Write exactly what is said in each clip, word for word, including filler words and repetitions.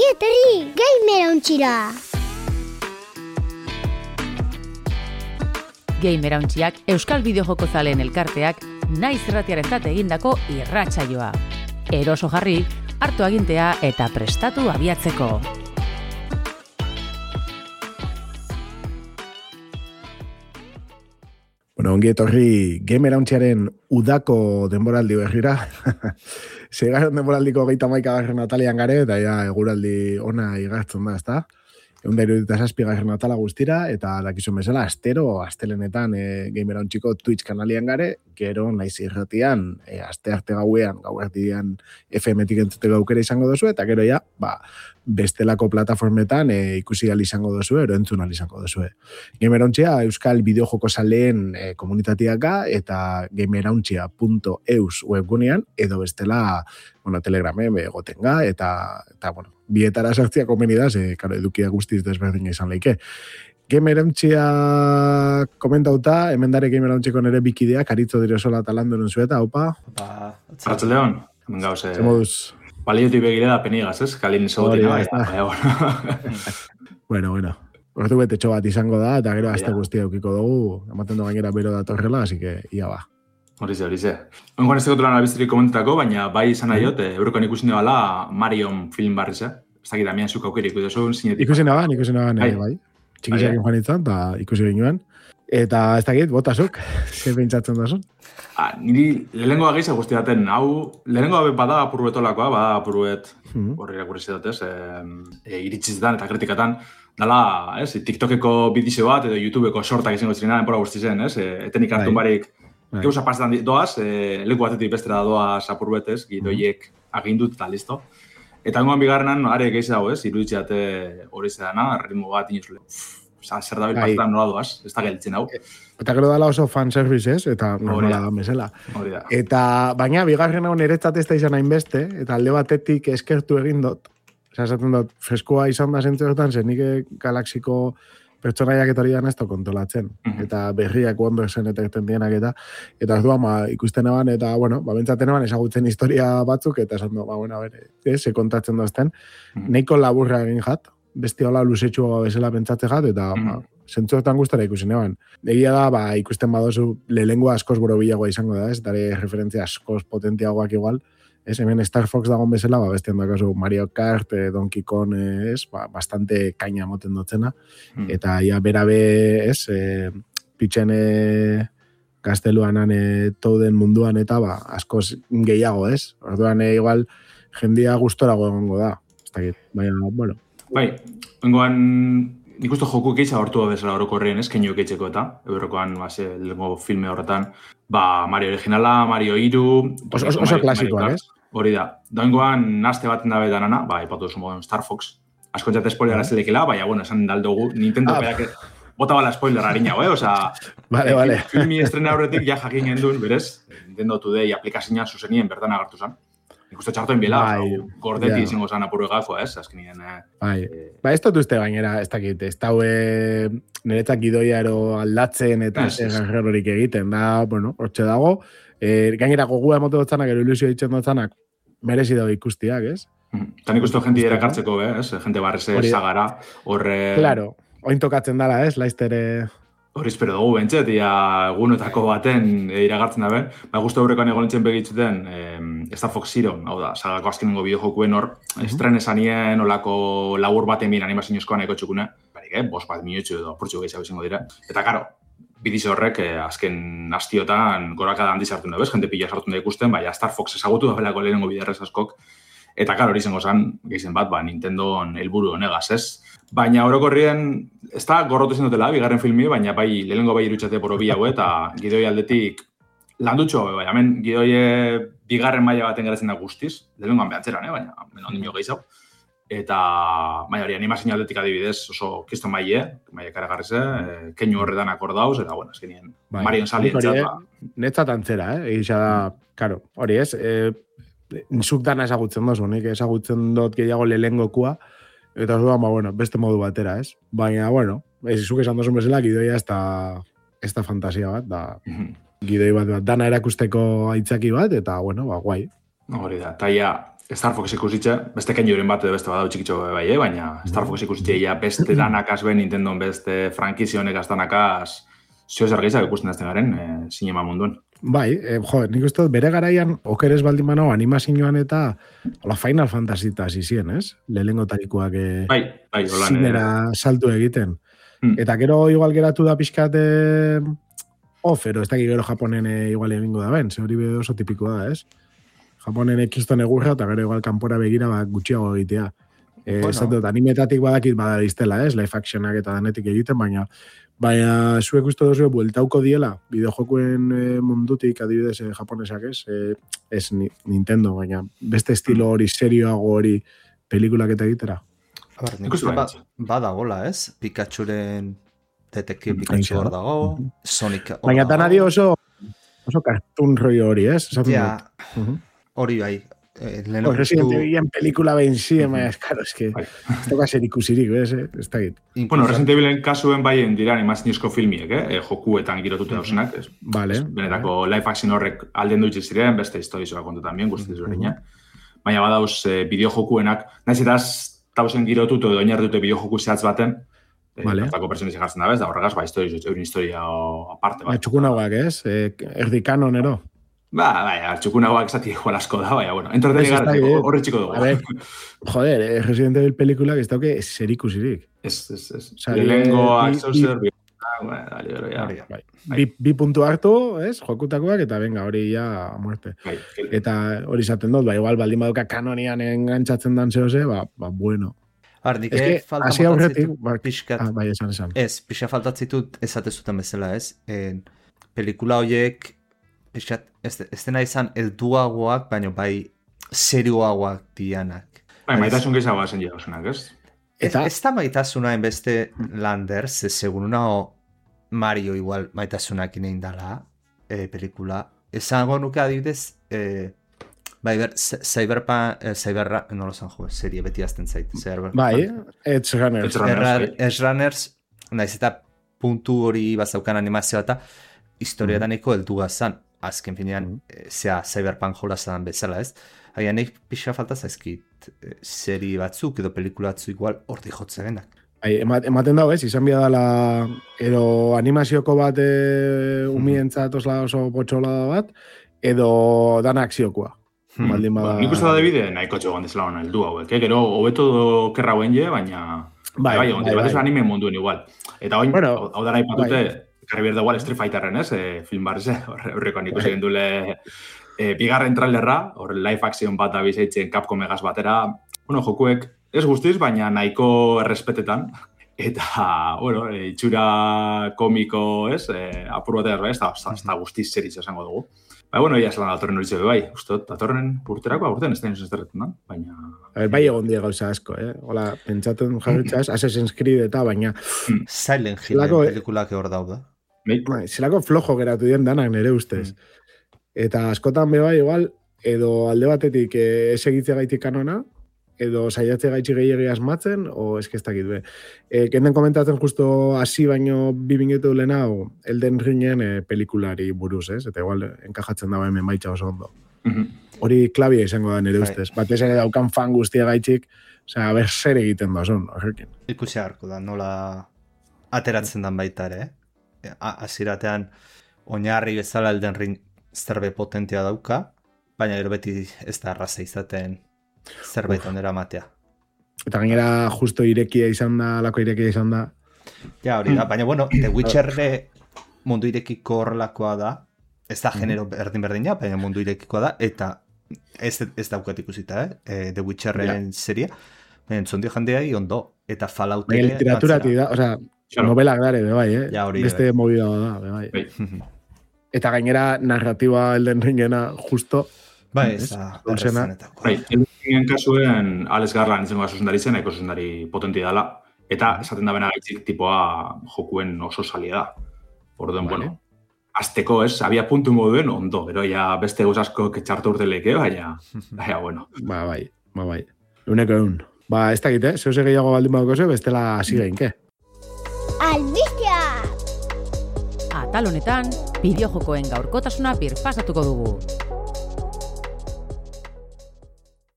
Ongi etorri, Gamer Ontxira! Gamer Ontxiak Euskal Bideojoko zaleen elkarteak naiz irratiarentzat egindako irratsaioa. Eroso jarri, hartu agintea eta prestatu abiatzeko. Bueno, ongi etorri Gamer Ontxiaren udako denboraldi berrira. Segarren denboraldiko geita maika garren atalian gare, eta ja eguraldi ona igartzen da, ezta? Egun da irudita zazpi garren atala guztira, eta dakizun bezala, astero, astelenetan e, Gamer Ontxiko Twitch kanalian gare, gero naiz irratian, e, aste arte gauean, gau erdian F M-tik entzuteko aukera izango dozu, eta gero ja, ba, bestelako plataformetan e, ikusi gali izango dozu, ero entzun gali izango dozu. Gamer Ontxia Euskal Bideojoko zaleen e, komunitatiaka eta gamerontxia punto eus webgunean, edo bestela, bueno, telegramen egotenga, eta, eta bueno, bietara sartzia komenidaz, e, karo, edukia guztiz desberdin izan leike. Gamer Ontxia komentauta, hemen dare Gamer Ontxiko nere bikideak, aritzo dire sola talandu nunzueta, opa? Opa, Arratxaldeon, gauze. Zemoduz? Baliotik begire da penigaz, ez? Kalin segotina. Bueno, bueno. Ordu betetxo bat izango da, eta gero aste guztia eukiko dugu, ematen du gainera bero datorrela, así que ia ba. Horize, horize. Ongoan ez tegotulan albizterik komentetako, baina bai izan nahi dut, Eurokoan ikusi nebala Marion film barriz, eh? Ez dakit damian zuk aukerik, ikusi zinetik. Ikusi naban, ikusi naban, bai. bai. Txikisak joan itzan, eta ikusi ginoen. Eta ez dakit, botasuk, zer pentsatzen da zon? Ah, niri lehenengoa gehiago guzti daten, hau, lehenengoa bada apurbetolakoa, bada apurbet, Mm. horri irakurri datez, e, e, iritzizdan eta kritikatan, dala, ez, TikTokeko bidizio bat, edo YouTubeko shortak izango zirena, enpora guzti zen, ez, e, etenik hartun barik, Bai. gauza pasetan doaz, e, leku batetik bestera doaz apurbetez, gidoiek agindut eta listo. Eta hengoan bigarrenan, are gehiago, ez, iruditzeate hori zedana, ritmo bat inozule, Osa, zer dabil Bai. pasetan nola doaz, ez da gelditzen hau. Eta gero dala oso fanservice, ez? Eta normala da mesela. Hori da. Eta, baina, bigarren hau niretzat ez da izan hainbeste, eta alde batetik eskertu egin dut. Osa, esaten dut, freskoa izan da zentzuetan, zen nik galaxiko pertsonaiak eta hori ez da kontolatzen. Mhm. Eta berriak Wondersen eta egiten dienak eta, eta ez duan, ba, ikusten eban, eta, bueno, ba, bentsaten eban ezagutzen historia batzuk, eta esan du, ba, bueno, a ber, ez, se kontatzen dozten, Mhm. neiko laburra egin jat, beste hola luzetxua bezala pentsatze jat, eta Mhm. ba, zentzuetan gustara ikusi neban. Egia da, ba, ikusten badozu lehengoa askoz borobilagoa izango da, ez? Dare referentzia askoz potentiagoak igual. Ez, hemen Star Fox dagoen bezala, ba, bestean dakazu Mario Kart, eh, Donkey Kong, eh, ez? Ba, bastante kaina moten dotzena. Mhm. Eta ia berabe, ez? Eh, pitxen eh, gazteluanan eh, touden munduan eta ba, askoz gehiago, ez? Orduan, eh, igual, jendia gustorago egongo da. Ez dakit, baina, bueno. Bai, hengoan nik uste joku keitza hortu bezala orokorrien, ez, keinu keitzeko eta, Eurokoan, ba, ze, lehenko filme horretan, ba, Mario originala, Mario hiru... Oso, oso, oso klasikoak, ez? Hori da. Dagoengoan, naste baten dabe danana, ba, ipatu duzu moden Star Fox. Askontzat spoilera zelekela, baina, bueno, esan daldugu, Nintendo Ah. berak bota bala spoiler harina, eh? Osa, Vale, vale. filmi estrena horretik ja jakin gendun, berez, Nintendo Today aplikazioa zuzenien bertan agertu zen. Nik uste txartoen bila, Bai, gordeti ja. izango zen apurru gakoa, ez? Azkenien, eh? Bai, ba, ez dut uste gainera, ez dakit, ez daue niretzak gidoia ero aldatzen eta Ez, ez. errorik egiten, da, bueno, hortxe dago, e, gainera gogua emote dutzanak, ero ilusio ditzen dutzanak, merezi dago ikustiak, ez? Eta nik uste jenti erakartzeko, eh? ez? Jente barreze Hori da. zagara, horre... Claro, oin tokatzen dala, ez, laiztere... Hori espero dugu bentset, ia egunetako baten e, iragartzen da ben. Ba, guztu aurrekoan egon nintzen begitzuten eh, Star Fox Zero, hau da, sagako azkenengo bideojokuen hor, Mhm. estren esanien olako labur baten bin animazioizkoan eko txukune, barik, eh, bos bat minutxu edo apurtxu gehiago izango dira. Eta, karo, bidize horrek eh, azken astiotan gorakada handi sartu da, bez? Jente pila sartu da ikusten, baina Star Fox ezagutu da belako lehenengo biderrez askok. Eta, karo, hori izango zen, gehizen bat, ba, Nintendon helburu honegaz, ez? Baina orokorrien, ez da gorrotu zen dutela, bigarren filmi, baina bai, lehenengo bai irutxate borobi hau, eta gidoi aldetik landutxo, bai, hemen gidoie bigarren maila baten geratzen da guztiz, lehenengoan behatzeran, eh? Baina, hemen ondin mio gehiago. Eta, baina hori, animazio aldetik adibidez, oso kiston maile, maile karagarrize, eh, keinu horretan akordauz, eta, bueno, azkenien, Bai. Marion Sali Nik hori, entzat, eh, ba. Netzat antzera, eh? Egisa da, karo, hori ez, eh, zuk dana ezagutzen dozu, nik ezagutzen dut gehiago lehenengokua, eta orduan, ba, bueno, beste modu batera, ez? Baina, bueno, ez, zuk esan dozun bezala, gidoia ez da, ez da fantasia bat, da, Mhm. gidoi bat, bat, dana erakusteko aitzaki bat, eta, bueno, ba, guai. Hori da, taia Star Fox ikusitxe, beste kenioren bat edo beste badau txikitxo bai, eh? Baina Star Fox ikusitxe ja beste danakaz ben Nintendo beste frankizionek aztanakaz zio zer gehiago ikusten azten garen e, sinema munduan. Bai, eh, jo, nik uste dut bere garaian okeres baldin manau animazioan eta hola Final Fantasy eta zizien, ez? Lehengo tarikoak eh, bai, bai, holan, zinera eh... saltu egiten. Hmm. Eta gero igual geratu da pixkat eh, off, ero ez dakik gero Japonen eh, igual egingo da ben, ze hori oso tipikoa da, ez? Japonen ekiston egurra, eta gero igual kanpora begira bat gutxiago egitea. Eh, bueno. Zato, animetatik badakit badariztela, ez? Live actionak eta danetik egiten, baina baina zuek uste dozu bueltauko diela, bideojokuen eh, mundutik, adibidez, eh, japonesak, ez? Eh, ez Nintendo, baina beste estilo hori, serioago hori, pelikulak eta egitera. A ber, nik uste ba, badagola, ez? Pikachuren detektibo Pikachu hor dago, Sonic hor baina tan adi oso oso cartoon rollo hori, ez? Ja, hori bai. Eh, oh, Resident Evilen pelikula behin zi, ema, ez, karo, ez que ez toka ser ikusirik, ez, ez da git. Bueno, Resident Evilen kasuen baien dira animazionizko filmiek, eh? Jokuetan girotute dauzenak, ez? Vale. Benetako live action horrek alden duitz ziren, beste historizoa kontutan bien, guztiz berina. Baina badauz eh, bideojokuenak, nahiz eta tauzen girotutu edo oinarritute bideojoku zehatz baten, Vale. Bertako personez egartzen da bez, da horregaz, ba, historiz, eurin historia aparte bat. Txukunagoak, ez? Eh, erdi kanonero. Ba, bai, txukunagoak esati igual asko da, bai, bueno, entreteni garreteko, horre txiko dugu. A ver, joder, eh, Resident Evil pelikulak ez dauke zer ikusirik. Ez, ez, ez. Lehengoak, zauzer, bi... Bi, bi puntu hartu, ez, jokutakoak, eta venga, hori ja muerte. Bai, eta hori izaten dut, ba, igual, baldin baduka kanonian engantzatzen dan zehose, ba, ba, bueno. Har, nik es falta motatzitut ba, pixkat. Ah, bai, esan, esan. Ez, pixka faltatzitut ezatezuten bezala, ez? En, pelikula horiek, pixkat, ez, ez dena izan elduagoak, baina bai serioagoak dianak. Bai, maitasun gehiagoa zen jauzenak, ez? Eta? Ez, ez da maitasuna enbeste Landers, ez segun una o Mario igual maitasunak inein dala, e, pelikula. Ezango nuke adibidez, e, bai, ber, Cyberpunk, eh, Cyberra, no lo san jo, serie beti azten zait. Bai, Edge Runners. Edge Runners, naiz eta puntu hori bazaukan animazioa eta historiataneko heldu gazan. Azken finean, mm -hmm. zea Cyberpunk jolazan bezala, ez? Haia nik pixa falta zaizkit serie batzuk edo pelikula batzuk igual horti jotze genak. Bai, ematen dago, ez? Izan bia dela edo animazioko bat e, umientzat osla oso potxola bat, edo dana akziokoa. Hmm. Baldin bada... Ba, nik uste da debide nahiko txegoan dezela hona heldu hauek, eh? Gero hobeto kerra guen je, baina... Bai, bai, bai, bai, bai. Anime munduen igual. Eta oin, bueno, hau da nahi patute, bai. Karri berda igual Street Fighterren, ez? E, film barze, horreko nik uste gendule... E, bigarren trailerra, hor live action bat abizeitzen Capcom egaz batera, bueno, jokuek ez guztiz, baina nahiko errespetetan, eta, bueno, itxura komiko, ez, e, apur bat erro, ez, da guztiz zeritz esango dugu. Ba, bueno, ia zelan datorren hori zebe, bai, uste, datorren urterako, urtean ez da inoz ezterretan da, baina... A ver, bai egon die gauza asko, eh? Hola, pentsatzen jarritzaz, Assassin's Creed eta, baina... Silent Hill pelikulak hor dauda. Bai, zelako flojo geratu dien danak nire ustez. Mm. Eta askotan beba igual, edo alde batetik ez egitze gaitik kanona, edo saiatze gaitxi gehiagi asmatzen, o eskeztakit be. E, kenden komentatzen justo hasi baino bibingetu lehena, o Elden Ringen e, pelikulari buruz, ez? Eta igual enkajatzen dago hemen baitxa oso ondo. Mm-hmm. Hori klabia izango da nire ustez. Batez ere daukan fan guztia gaitxik, osea, aber zer egiten da zon, horrekin. Ikusi harko da, nola ateratzen dan baita ere, eh? Aziratean, oinarri bezala Elden Ring zerbe potentia dauka, baina gero beti ez da arraza izaten zerbait ondera matea. Eta gainera justo irekia izan da, lako irekia izan da. Ja, hori da, baina bueno, The Witcherre mundu irekiko horrelakoa da, ez da genero berdin-berdina, baina mundu irekikoa da, eta ez, ez daukat ikusita, eh? The Witcherren ja. Seria, baina entzondi jandeai ondo, eta Fallout ere... Literaturati da, osea, novelak dare, bebai, eh? Ja, hori beste be. Movida da, bebai. Eta gainera narratiba Elden Ringena justo... Bai, ez da, berrezenetako. Bai, Elden Ringen kasuen Alex Garland izango da zuzendari zen, eko zuzendari potenti dala, eta esaten da bena gaitzik tipoa jokuen oso salia da. Orduen, vale. Bueno, azteko ez, abia puntu moduen ondo, pero ya beste gozasko ketxartu urteleke, baina, baina, bueno. Ba, bai, ba, bai. Uneko egun. Ba, ez dakit, eh? Zeuse gehiago baldin baduko ze, bestela hasi geinke. Albistia! Atal honetan, bideojokoen gaurkotasuna birpasatuko dugu.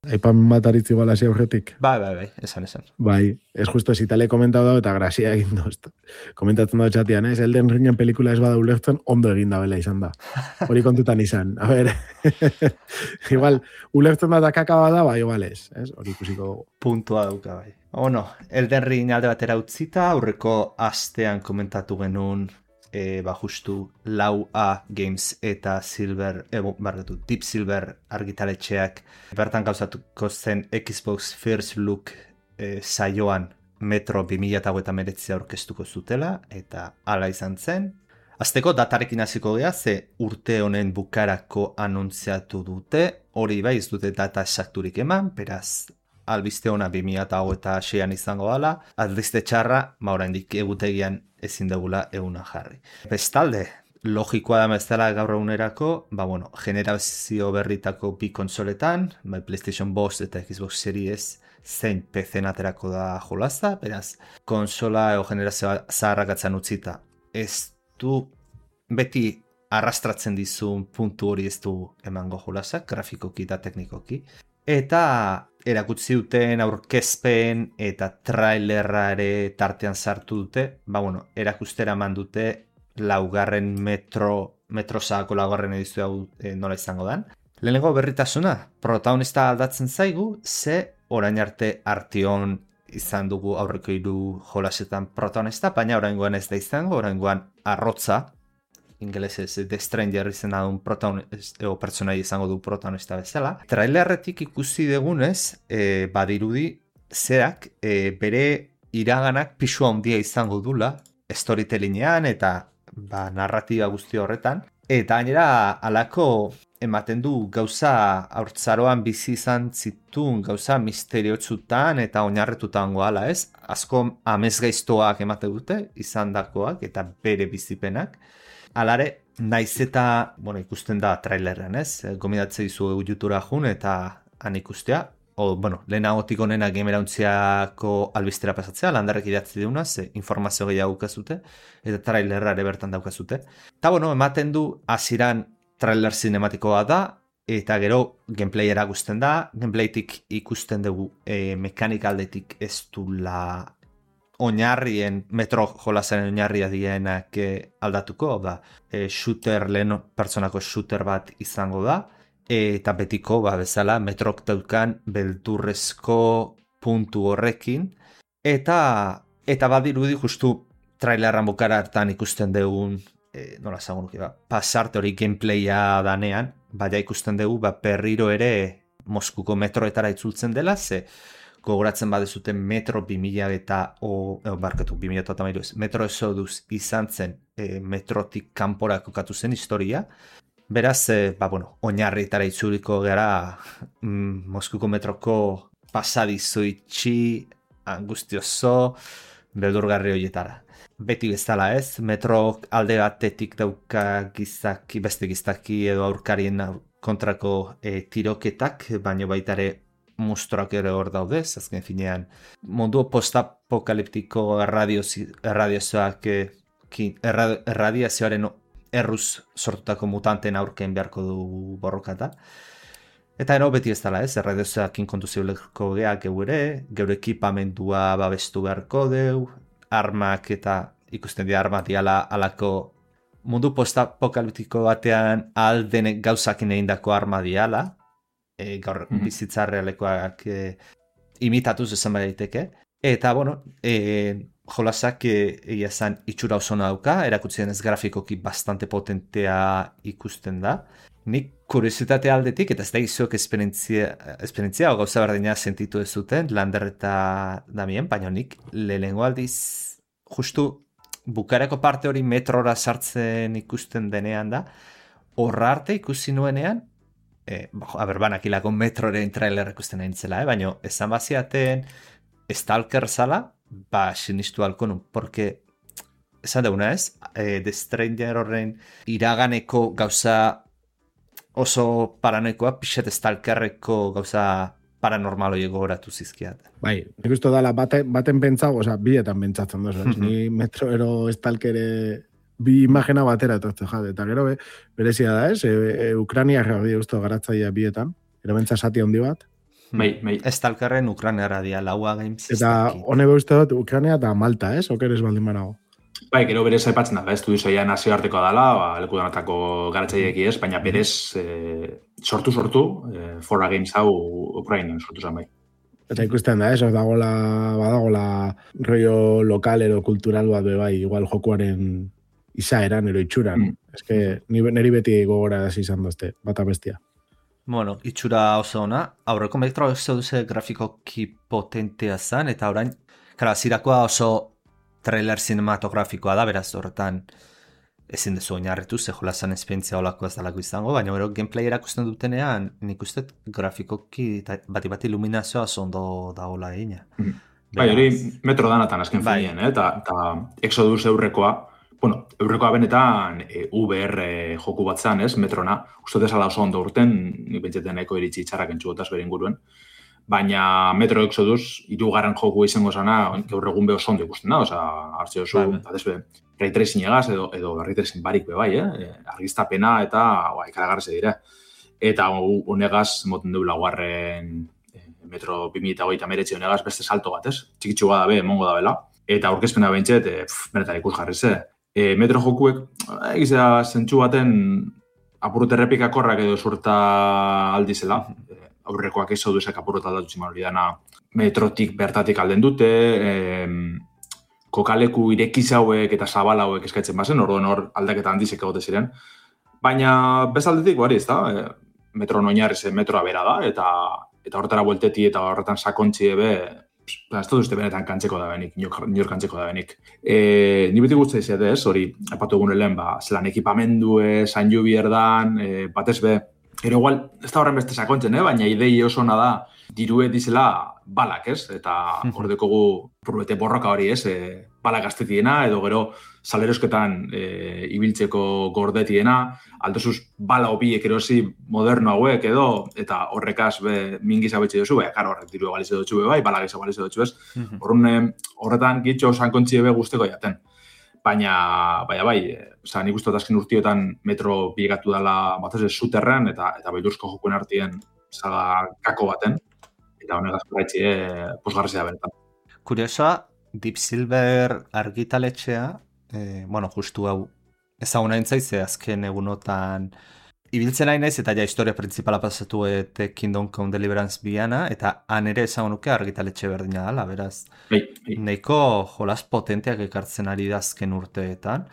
Aipamen bat aritzi balasi aurretik. Bai, bai, bai, esan, esan. Bai, ez justo ez itale komentatu da eta grazia egin doz. Komentatzen da txatian, ez? Elden Ringen pelikula ez bada ulertzen, ondo egin da bela izan da. Hori kontutan izan. A ber, igual, ulertzen da kaka bada, bai, igual ez. Hori ikusiko dugu. Puntua duka, bai. Ono, Elden Ring alde batera utzita, aurreko astean komentatu genuen E, ba justu lau A Games eta Silver, e, barretu, Deep Silver argitaletxeak bertan gauzatuko zen Xbox First Look e, saioan Metro bi mila hogeita hemeretzi aurkeztuko zutela, eta hala izan zen. Azteko datarekin hasiko gea, ze urte honen bukarako anuntziatu dute, hori bai ez dute data esakturik eman, beraz albiste ona bi mila hogeita seian izango dela, albiste txarra, ma oraindik egutegian ezin dugula eguna jarri. Bestalde, logikoa da bezala gaur egunerako, ba bueno, generazio berritako bi konsoletan, bai PlayStation bost eta Xbox Series zein P C-en aterako da jolaza, beraz, konsola edo generazioa zaharrakatzen utzita. Ez du beti arrastratzen dizun puntu hori ez du emango jolazak, grafikoki eta teknikoki. Eta erakutsi duten aurkezpen eta trailerra ere tartean sartu dute, ba bueno, erakustera eman dute laugarren metro, metro zahako laugarren edizio hau e, nola izango dan. Lehenengo berritasuna, protagonista aldatzen zaigu, ze orain arte Artion izan dugu aurreko hiru jolasetan protagonista, baina oraingoan ez da izango, oraingoan arrotza, ingelesez The Stranger izena duen pertsonai izango du protagonista bezala. Trailerretik ikusi dugunez, e, badirudi zerak e, bere iraganak pisu handia izango dula, storytellingean eta ba, narratiba guzti horretan. Eta gainera alako ematen du gauza haurtzaroan bizi izan zituen gauza misteriotsutan eta oinarretutan goala, ez? Asko amesgaiztoak emate dute, izandakoak eta bere bizipenak. Alare, naiz eta, bueno, ikusten da trailerren, ez? Gomidatze izu YouTubera jun eta han ikustea. O, bueno, lehenagotik onena gamerauntziako albistera pasatzea, landarrek idatzi deuna, ze informazio gehiago daukazute, eta trailerra ere bertan daukazute. Eta, bueno, ematen du, hasieran trailer zinematikoa da, eta gero gameplay erakusten da, gameplaytik ikusten dugu e, mekanikaldetik ez du la oinarrien, metro jolazaren oinarria dienak aldatuko, da, e, shooter, lehen pertsonako shooter bat izango da, eta betiko, ba, bezala, metrok daukan beldurrezko puntu horrekin, eta, eta badirudi justu trailerran bukara hartan ikusten dugun, e, nola zagun ba, pasarte hori gameplaya danean, baina ikusten dugu, ba, berriro ere Moskuko metroetara itzultzen dela, ze, gogoratzen badezuten metro bi mila eta o, e, barkatu, bi mila eta hamairu metro esoduz izan zen e, metrotik kanpora kokatu zen historia. Beraz, e, ba, bueno, oinarrietara itzuliko gara mm, Moskuko metroko pasadizo itxi, angustioso, beldurgarri horietara. Beti bezala ez, metro alde batetik dauka gizaki, beste gizaki edo aurkarien kontrako e, tiroketak, baina baitare mustroak ere hor daudez, azken finean mundu postapokaliptiko erradiazioak erradiazioaren erruz sortutako mutanten aurken beharko du borrokata. Eta ero beti ez dela ez, erradiazioakin kontuzioleko geak geure, geure ekipamendua babestu beharko deu, armak eta ikusten dira armak diala alako mundu postapokaliptiko batean aldenek gauzakin egindako arma diala, E, gaur mm-hmm. bizitza realekoak e, imitatuz esan daiteke. Eta, bueno, e, jolasak egia zan itxura osona dauka, erakutsi denez grafikoki bastante potentea ikusten da. Nik kuriositate aldetik, eta ez da izuok esperientzia, esperientzia o gauza berdina sentitu ez zuten, Lander eta Damien, baina nik lehengo aldiz justu bukareko parte hori metrora sartzen ikusten denean da, horra arte ikusi nuenean, E, a ber, banakilako metroren trailer ikusten nahi nintzela, eh? Baina esan baziaten Stalker zala, ba, sinistu halko nun, porque esan deuna ez, e, The Stranger horren iraganeko gauza oso paranoikoa, pixet Stalkerreko gauza paranormal hori gogoratu zizkiat. Bai, nik uste dala baten, baten pentsago, oza, bietan pentsatzen dozu, mm-hmm. Ni metroero Stalkere bi imagena batera etortze jade, eta gero be, berezia da ez, e, e, Ukrania reagia usto garatzaia bietan, ero bentsa sati handi bat, Bai, bai. Stalkerren Ukrainara dia, laua games. Eta hone beuste dut Ukraina eta Malta, ez? Okeres baldin banago. Bai, gero berez aipatzen da, estudio zaila nazioartekoa dela, ba, leku danatako garatzaileeki ez, baina berez e, sortu-sortu, e, Fora Games hau Ukrainan sortu zen bai. Eta ikusten da, ez? Dagola, badagola rollo lokal edo kultural bat bai, igual jokuaren izaeran, ero itxuran. Mm. Ez que niri beti gogora izan dozte, bata bestia. Bueno, itxura oso ona, aurreko metro oso duze grafikoki potentea zen, eta orain, kara, zirakoa oso trailer cinematografikoa da, beraz horretan ezin dezu oinarritu, ze jolazan esperientzia olako ez dalako izango, baina gero gameplay erakusten dutenean, nik uste grafikoki bati-bati iluminazioa ondo dagoela egina. Mm. Bai, hori metro danatan azken bai. Finien, eh? eta, eta Exodus eurrekoa, bueno, eurrekoa benetan e, V R joku bat zan, ez, metrona, uste desala oso ondo urten, nik bentseten nahiko iritsi txarrak entxugotaz bere inguruen, baina Metro Exodus hirugarren joku izango zana, gaur egun beho oso ondo ikusten da, oza, hartze oso, batez be, ray tracing egaz, edo, edo ray tracing barik be bai, eh? Argiztapena eta ba, ikaragarreze dire. Eta honegaz, moten dugu laguarren Metro bi mila hogeita hemeretzi honegaz beste salto bat, ez? Txikitxua da be, emongo da bela. Eta aurkezpena bentset, e, benetan ikus jarri ze. E, metro jokuek, egizea zentsu baten apurut errepikakorrak edo surta aldizela. E, aurrekoak ez zauduzek apurut aldatu ziman hori dana metrotik bertatik alden dute, e, kokaleku irekiz hauek eta zabal hauek eskatzen bazen, orduan hor aldaketa handizek egote ziren. Baina bezaldetik, bari ez da, e, metro noinarri zen metroa bera da, eta eta horretara buelteti eta horretan sakontzi ebe, ez dut uste benetan kantzeko da benik, nior kantzeko da benik. E, ni beti guztia izate ez, hori, apatu egun helen, ba, zelan ekipamendu, zain ju bierdan, e, batez be, ero igual, ez da horren beste sakontzen, eh? Baina idei oso ona da, dirue dizela balak, ez? Eta hor dekogu purbete borroka hori, ez? E, balak gaztetiena, edo gero salerosketan e, ibiltzeko gordetiena, aldozuz bala obiek erosi moderno hauek edo, eta horrekaz be, mingiz abetxe duzu, bai, karo, horret diru egalize dutxu be, bai, bala giza egalize dutxu ez. Horren, horretan gitxo sankontzi ebe guzteko jaten. Baina, baina bai, oza, nik uste azken urtiotan metro biegatu dela bat ez zuterren, eta, eta baidursko jokuen artien zaga kako baten, eta honegaz paraitzi e, posgarrizea beretan. Kuriosoa, Deep Silver argitaletxea, eh, bueno, justu hau ezaguna entzaize azken egunotan ibiltzen nahi naiz, eta ja historia principala pasatu eta Kingdom Come Deliverance biana, eta han ere ezagunuke argitaletxe berdina dela, beraz. Hey, hey. Neiko jolas potenteak ekartzen ari da azken urteetan,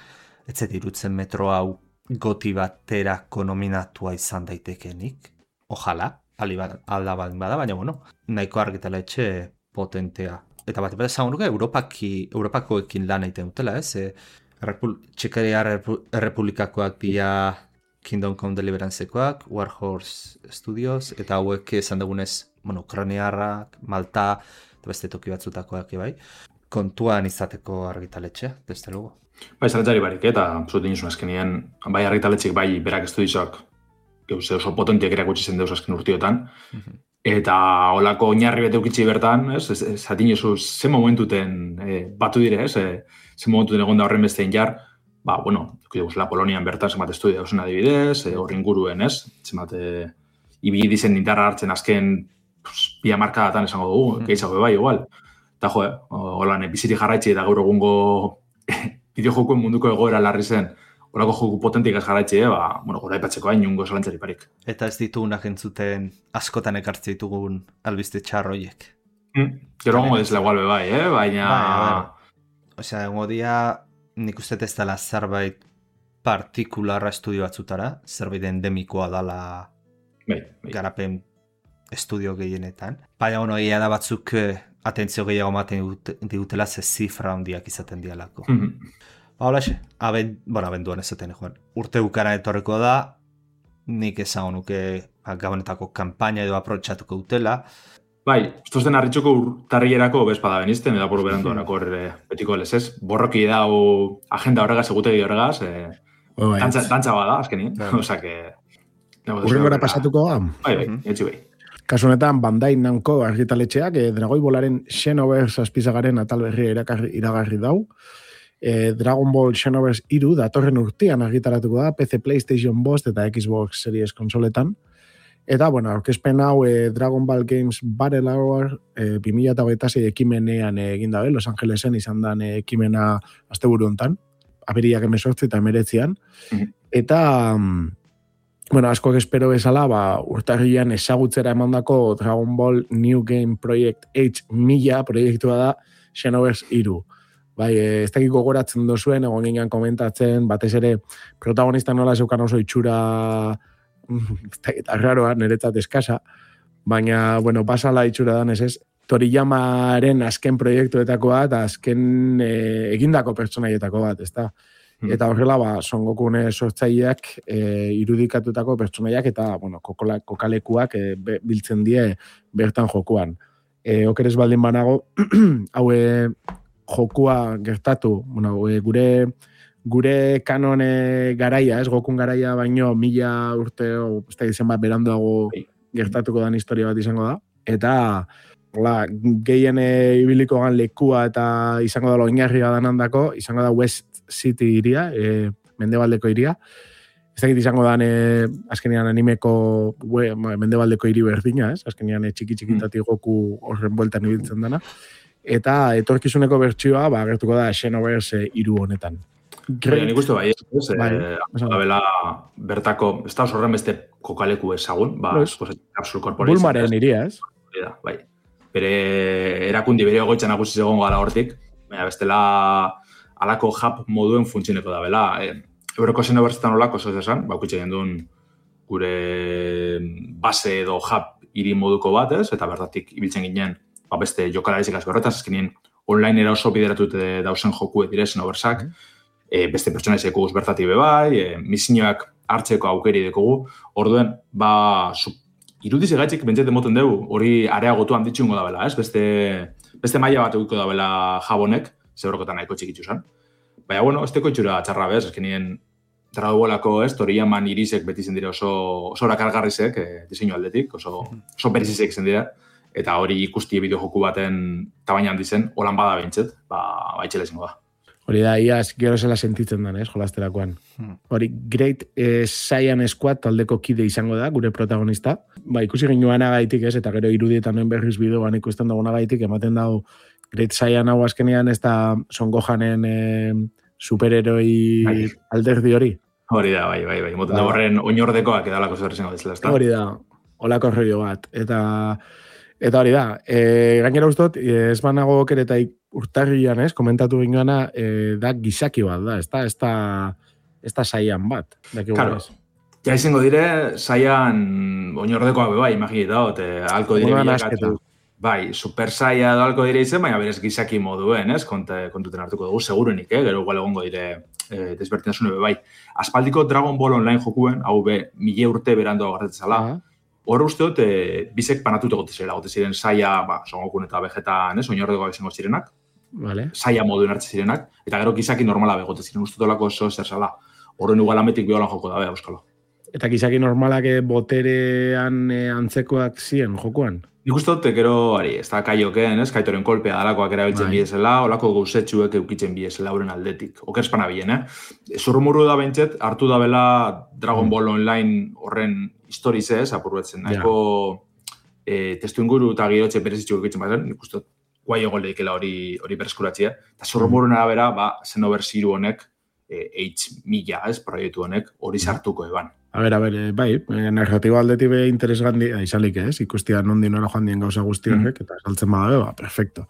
ez zet irutzen metro hau goti baterako nominatua izan daitekenik, ojala, alda baldin bada, baina bueno, nahiko argitaletxe potentea. Eta bat bat ezagunuke Europaki, Europakoekin lan egiten dutela, ez? E, Repul Txekeria Errepublikakoak dira Kingdom Come Deliverancekoak, Warhorse Studios, eta hauek esan dugunez, bueno, Ukrainiarrak, Malta, eta beste toki batzutakoak, bai. Kontuan izateko argitaletxe, beste lugu. Bai, zaretzari barik, eta zuten izun azkenien, bai argitaletxek, bai berak estudizok, geuse oso potentiak erakutsi zen deus azken urtiotan, mm-hmm. Eta holako oinarri bete ukitzi bertan, ez, zatin ezu, ze momentuten e, batu dire, ez, e, ze momentuten egon da horren bestein jar, ba, bueno, la Polonian bertan zemat estudia dauzen adibidez, e, horren guruen, ez, zemat, e, ibili dizen indarra hartzen azken pues, bi hamarkadatan esango dugu, mm. gehiago bai, igual. Eta jo, eh, holan, biziri jarraitzi eta gaur egungo bideojokuen munduko egoera larri zen, horako joku potentik ez jarraitzi, eh? Ba, bueno, gora ipatzeko hain nungo zalantzari parik. Eta ez ditugunak entzuten askotan ekartze ditugun albiste txarroiek. Mm. Gero gongo dizela igual be bai, eh? Baina... Bai, osea, gongo dia nik uste ez dela zerbait partikularra estudio batzutara, zerbait endemikoa dala bai, bai. Garapen estudio gehienetan. Baina, bueno, egia da batzuk atentzio gehiago maten digutela ze zifra handiak izaten dialako. Mm-hmm. Holaxe, aben, bueno, abenduan ezaten, joan. Urte bukara etorreko da, nik esan nuke gabonetako kanpaina edo aprotxatuko dutela. Bai, estos den arritxoko urtarrierako bezpada benizten, edo apuru berandu anako horre betiko les ez. Borroki dau agenda horregaz, egutegi horregaz, eh, oh, dantza, dantza bada, azkeni. Osa que... Urrengora pasatuko da? Bai, bai, etxi bai. Kasu honetan, Bandai Namco argitaletxeak, eh, Dragoi Bolaren Xenoverse azpizagaren atal berria iragarri dau. Eh, Dragon Ball Xenoverse hiru datorren urtean argitaratuko da, P C, PlayStation, Bost eta Xbox Series konsoletan. Eta, bueno, aurkezpen hau eh, Dragon Ball Games Battle Hour eh, bi mila hogeita sei ekimenean eh, egin dabe, Los Angelesen izan dan eh, ekimena asteburu hontan, abiriak emezortzi eta emeretzian. Mm-hmm. Eta, mm, bueno, askoak espero bezala, ba, urtarrian ezagutzera emandako Dragon Ball New Game Project H mila proiektua da Xenoverse hiru. Bai, ez dakik gogoratzen dozuen, egon ginen komentatzen, batez ere protagonista nola zeukan oso itxura eta raroa, niretzat eskasa, baina, bueno, pasala itxura dan ez ez, Toriyamaren azken proiektuetako bat, azken e, egindako pertsonaietako bat, ez da? Mm. Eta horrela, ba, Son Gokune sortzaileak e, irudikatutako pertsonaiak eta, bueno, kokola, kokalekuak e, be, biltzen die bertan jokuan. E, okeres baldin banago, haue jokua gertatu, bueno, e, gure gure kanone garaia, ez, Gokun garaia baino mila urte, o, ez da izan bat beranduago gertatuko dan historia bat izango da. Eta, hola, gehien e, ibiliko gan lekua eta izango da oinarria danandako, izango da West City iria, e, mendebaldeko iria. Ez dakit izango dan, e, azkenean animeko we, mendebaldeko hiri berdina, ez? Azkenean e, txiki-txikitatik Goku horren bueltan ibiltzen dana. Eta etorkizuneko bertsioa, ba, gertuko da Xenoverse hiru honetan. Great. Nik uste bai, ez, bai, eh, abela bertako, ez da horren beste kokaleku ezagun, ba, Capsule Corporation. Bulmaren iria, ez? Bai, bere erakundi bere ogoitzan agusiz egon gara hortik, baina bestela alako hub moduen funtzineko da, bela. E, Euroko Xenoversetan olako, oso ez esan, ba, ukitxe gendun gure base edo hub hiri moduko bat, ez? Eta bertatik ibiltzen ginen, ba, beste jokalarizik azberretaz, ezkenien online era oso bideratute dausen joku dire Xenoversak, mm. E, beste pertsonaizek guz bertatik bebai, e, misioak hartzeko aukeri dekogu. Orduen, ba, irudiz egaitzik bentzet emoten dugu, hori areagotu handitxungo da bela, ez? Beste, beste maila bat egiko da bela jabonek, zebrokotan nahiko txikitzu zen. Baina, bueno, ez teko itxura txarra bez, eskenien Dragonbolako, ez, Toriyaman irisek beti zen dira oso, oso rakargarrizek, e, diseinu aldetik, oso, oso berizizek zen dira, eta hori ikusti bideo joku baten tabaina handi zen, holan bada behintzet, ba, baitxela izango da. Hori da, iaz, gero zela sentitzen den, ez, jolasterakoan. Hmm. Hori, Great eh, Saiyan Squad taldeko kide izango da, gure protagonista. Ba, ikusi ginuan agaitik, ez, eta gero irudietan noen berriz bideoan ikusten dagoen agaitik, ematen dago Great Saiyan hau azkenean ez da Son Gohanen eh, superheroi bai. Alderdi hori. Hori da, bai, bai, bai. Moten da horren oinordekoak edalako zer izango dizela, ez da? Hori da, holako rollo bat. Eta... Eta hori da, e, gainera ustot, ez banago kereta urtarrian, ez, komentatu ginuana, e, da gizaki bat da, ez da, ez da, ez da saian bat. Claro, ja izango dire, saian oinordekoa beba, imagina da, alko dire bilakatu, bai, super saia da alko dire izen, baina berez gizaki moduen, ez, kontuten hartuko dugu, segurenik, eh, gero igual egongo dire e, desbertinasune bebai. Aspaldiko Dragon Ball online jokuen, hau be, mila urte berandoa garretzala, uh-huh. Hor uste dut, e, bizek panatuta gote zirela, gote ziren saia, ba, Son Gokun eta Vegetan, ez, oinordekoa izango zirenak, vale. Saia moduen hartze zirenak, eta gero gizaki normala begote ziren, uste dolako oso zer zala. Horren ugalametik biolan joko da, beha, euskalo. Eta gizaki normalak boterean e, antzekoak ziren jokoan? Nik uste dut, gero, ari, ez da kaiokeen, ez, kaitoren kolpea dalakoak erabiltzen bai. Biezela, olako gauzetxuek eukitzen biezela horren aldetik. Okerspana bien, eh? Zurrumurru da behintzet, hartu da bela Dragon Ball Online horren historiz ez, apurbetzen. Nahiko e, testu inguru eta girotxe berezitxuk eukitzen bazen, nik uste dut, guai egon lehikela hori, hori bereskuratzea. Eta zurrumurruen arabera, ba, Xenoverse hiru honek, e, H mila, ez, proiektu honek, hori sartuko eban. A ber, a ber, bai, narratiba aldetik be interesgandi, izalik ez, ikustia nondi nola joan dien gauza guzti horrek, mm. eta saltzen badabe, ba, perfecto.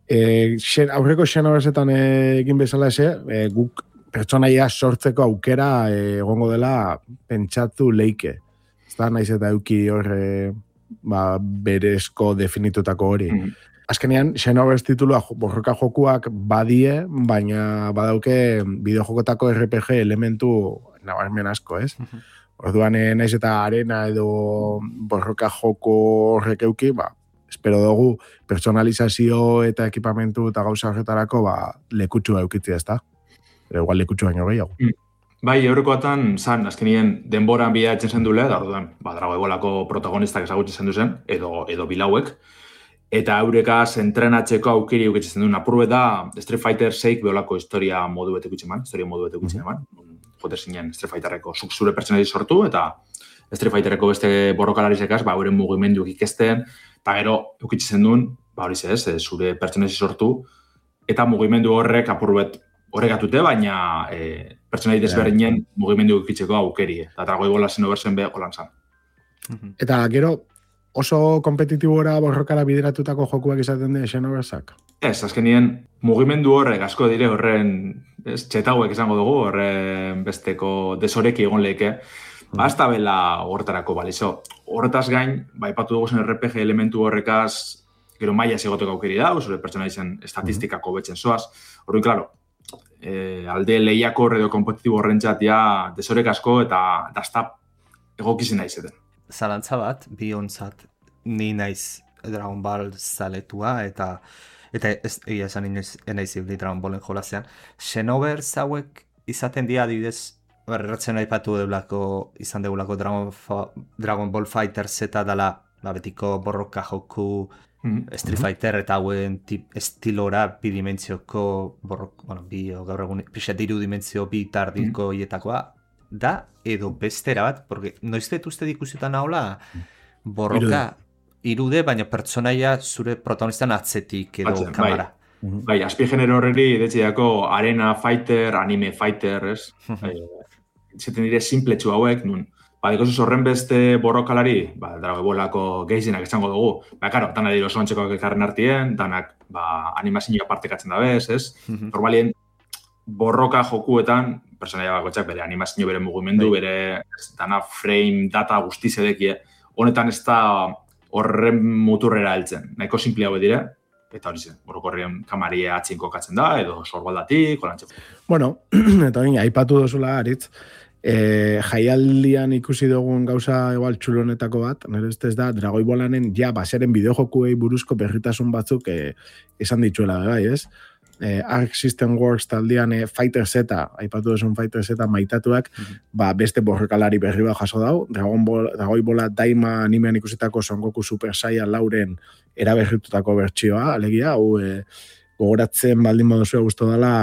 E, xen, aurreko Xenoversetan egin bezala eze, e, guk pertsonaia sortzeko aukera e, egongo dela pentsatu leike. Ez da, naiz eta euki horre ba, berezko definitutako hori. Mm. Azkenean, Xenoverse titulua borroka jokuak badie, baina badauke bideojokotako R P G elementu nabarmen asko, ez? Mm-hmm. Orduan, naiz eta arena edo borroka joko horrek euki, ba, espero dugu personalizazio eta ekipamentu eta gauza horretarako ba, lekutsua eukitzea, ez da? Pero igual lekutsu baino gehiago. Mm. Bai, eurrekoatan, zan, azkenien denboran bidea etzen zen dule, da orduan, ba, Dragonbolako protagonistak ezagutzen zen duzen, edo, edo bilauek, eta eurekaz entrenatzeko aukeri eukitzen duen apurbe da Street Fighter seik beholako historia modu betek utxe eman, historia modu betek utxe eman, jote zinen Street Fighterreko zuk zure pertsonali sortu, eta Street Fighterreko beste borrokalarizekaz, ba, euren mugimenduak ikesten, eta gero, eukitzen duen, ba, hori ez, zure pertsonesi sortu, eta mugimendu horrek apurbet horregatute, baina e, pertsonai desberdinen yeah. mugimendu ikitzeko aukeri. Eta Dragoi Bola Xenoversen be holan zan. Eta gero, oso kompetitibora borrokara bideratutako jokuak izaten dira Xenoversak? Ez, azkenien mugimendu horrek asko dire horren, ez, txetauek izango dugu, horren besteko desoreki egon lehike. Ba, ez da bela horretarako balizo. Horretaz gain, ba, ipatu dugu zen R P G elementu horrekaz, gero maia segoteko aukeri da, zure pertsonaisen estatistikako betzen zoaz. Horren, klaro, eh, alde lehiako edo kompetitibo horrentzat ja desorek asko eta dazta egokizen naizeten. Zalantza bat, bi onzat, ni naiz Dragon Ball zaletua eta eta ez egia esan inoiz enaiz ibili Dragon Ballen jolasean. Xenoverse hauek izaten dira adibidez, erratzen aipatu deulako, izan deulako Dragon, Dragon Ball Fighter Z dela, ba, betiko borroka joku, mm-hmm. Street Fighter eta hauen tip, estilora bi dimentzioko borrok, bueno, bi o gaur egun pixat iru dimentzio bi tardiko mm-hmm. hietakoa da, edo bestera bat, porque noiztet uste dikusiotan haula borroka irude, baina pertsonaia zure protagonistan atzetik edo Atzen, kamera. Bai, bai azpi genero horreri detxeako arena fighter, anime fighter, ez? bai, zaten dire simpletxu hauek, nun. Ba, dikosus horren beste borrokalari, ba, Dragoi Bolako gehienak esango dugu. Ba, karo, danak dira oso antzekoak elkarren artien, danak ba, animazioa partekatzen da bez, ez? Normalien, borroka jokuetan, personaia bakotxak bere animazio, bere mugimendu, bere ez, dana frame, data guztiz edekie. Honetan ez da horren muturrera heltzen. Nahiko simple hau dire, eta hori zen, borokorrien kamaria atzin kokatzen da, edo sorbaldatik, olantxe. Bueno, eta hori, aipatu dozula aritz, e, jaialdian ikusi dugun gauza igual txulonetako bat, nire ez da, Dragoi Bolanen ja baseren bideojokuei buruzko berritasun batzuk e, esan dituela, bai, ez? Eh, Arc System Works taldean eh, Fighter Z, aipatu duzun Fighter Z maitatuak, mm-hmm. ba, beste borrokalari berri bat jaso dau, Dragon Ball, Dragoi Bola Daima animean ikusitako Son Goku Super Saiyan lauren eraberritutako bertsioa, alegia, hau eh, gogoratzen baldin baduzua guztu dela,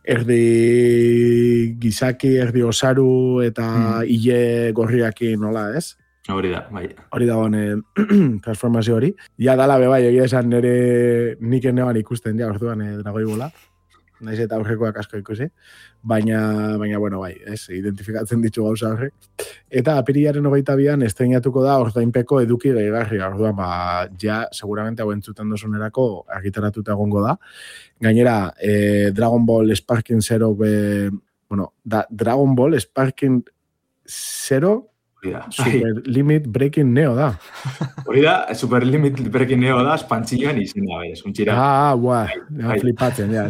erdi gizaki, erdi osaru eta mm. ile gorriakin nola, ez? Hori da, bai. Hori da hone transformazio hori. Ja dala be bai, egia esan nire nik eneban ikusten, ja, orduan eh, Dragoi Bola. Naiz eta aurrekoak asko ikusi. Baina, baina bueno, bai, ez, identifikatzen ditu gauza horrek. Eta apirilaren hogeita bian estreinatuko da ordainpeko eduki gehigarria. Orduan, ba, ja, seguramente hau entzuten dozunerako argitaratuta egongo da. Gainera, eh, Dragon Ball Sparking Zero, be, bueno, da, Dragon Ball Sparking Zero, Super Limit Breaking Neo da. Hori da, Super Limit Breaking Neo da, espantzioan izena, bai, esuntxira. Ah, buah, bai, flipatzen, ja.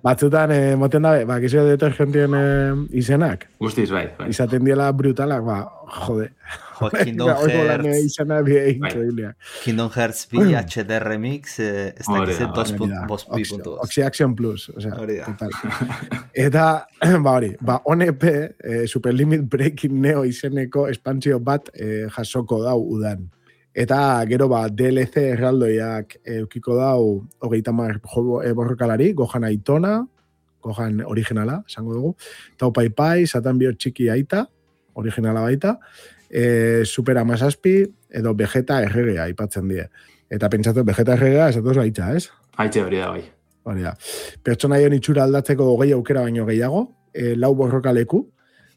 Batzutan, eh, moten da, ba, kizio detergentien eh, izenak. Guztiz, bai, bai. Izaten diela brutalak, ba, jode. Jo, Kingdom Hearts. Izena bie increíblea. Kingdom Hearts bi H D Remix, eh, ez dakizen dos pi puntu. Oxy Action Plus, o sea, total. Eta, ba hori, ba, O N P, eh, Super Limit Breaking Neo izeneko espantzio bat eh, jasoko dau udan. Eta gero ba, D L C erraldoiak eukiko dau hogeita mar e, borrokalari, Gohan Aitona, Gohan originala, esango dugu, Tau Pai Pai, Satan Bio Txiki Aita, originala baita, e, Super Amazazpi, edo Vegeta erregea aipatzen die. Eta pentsatu, Vegeta erregea, esatoz baitza, ez? Haitxe hori da, bai. Hori da. Pertsonaien itxura aldatzeko hogei aukera baino gehiago, e, lau borrokaleku,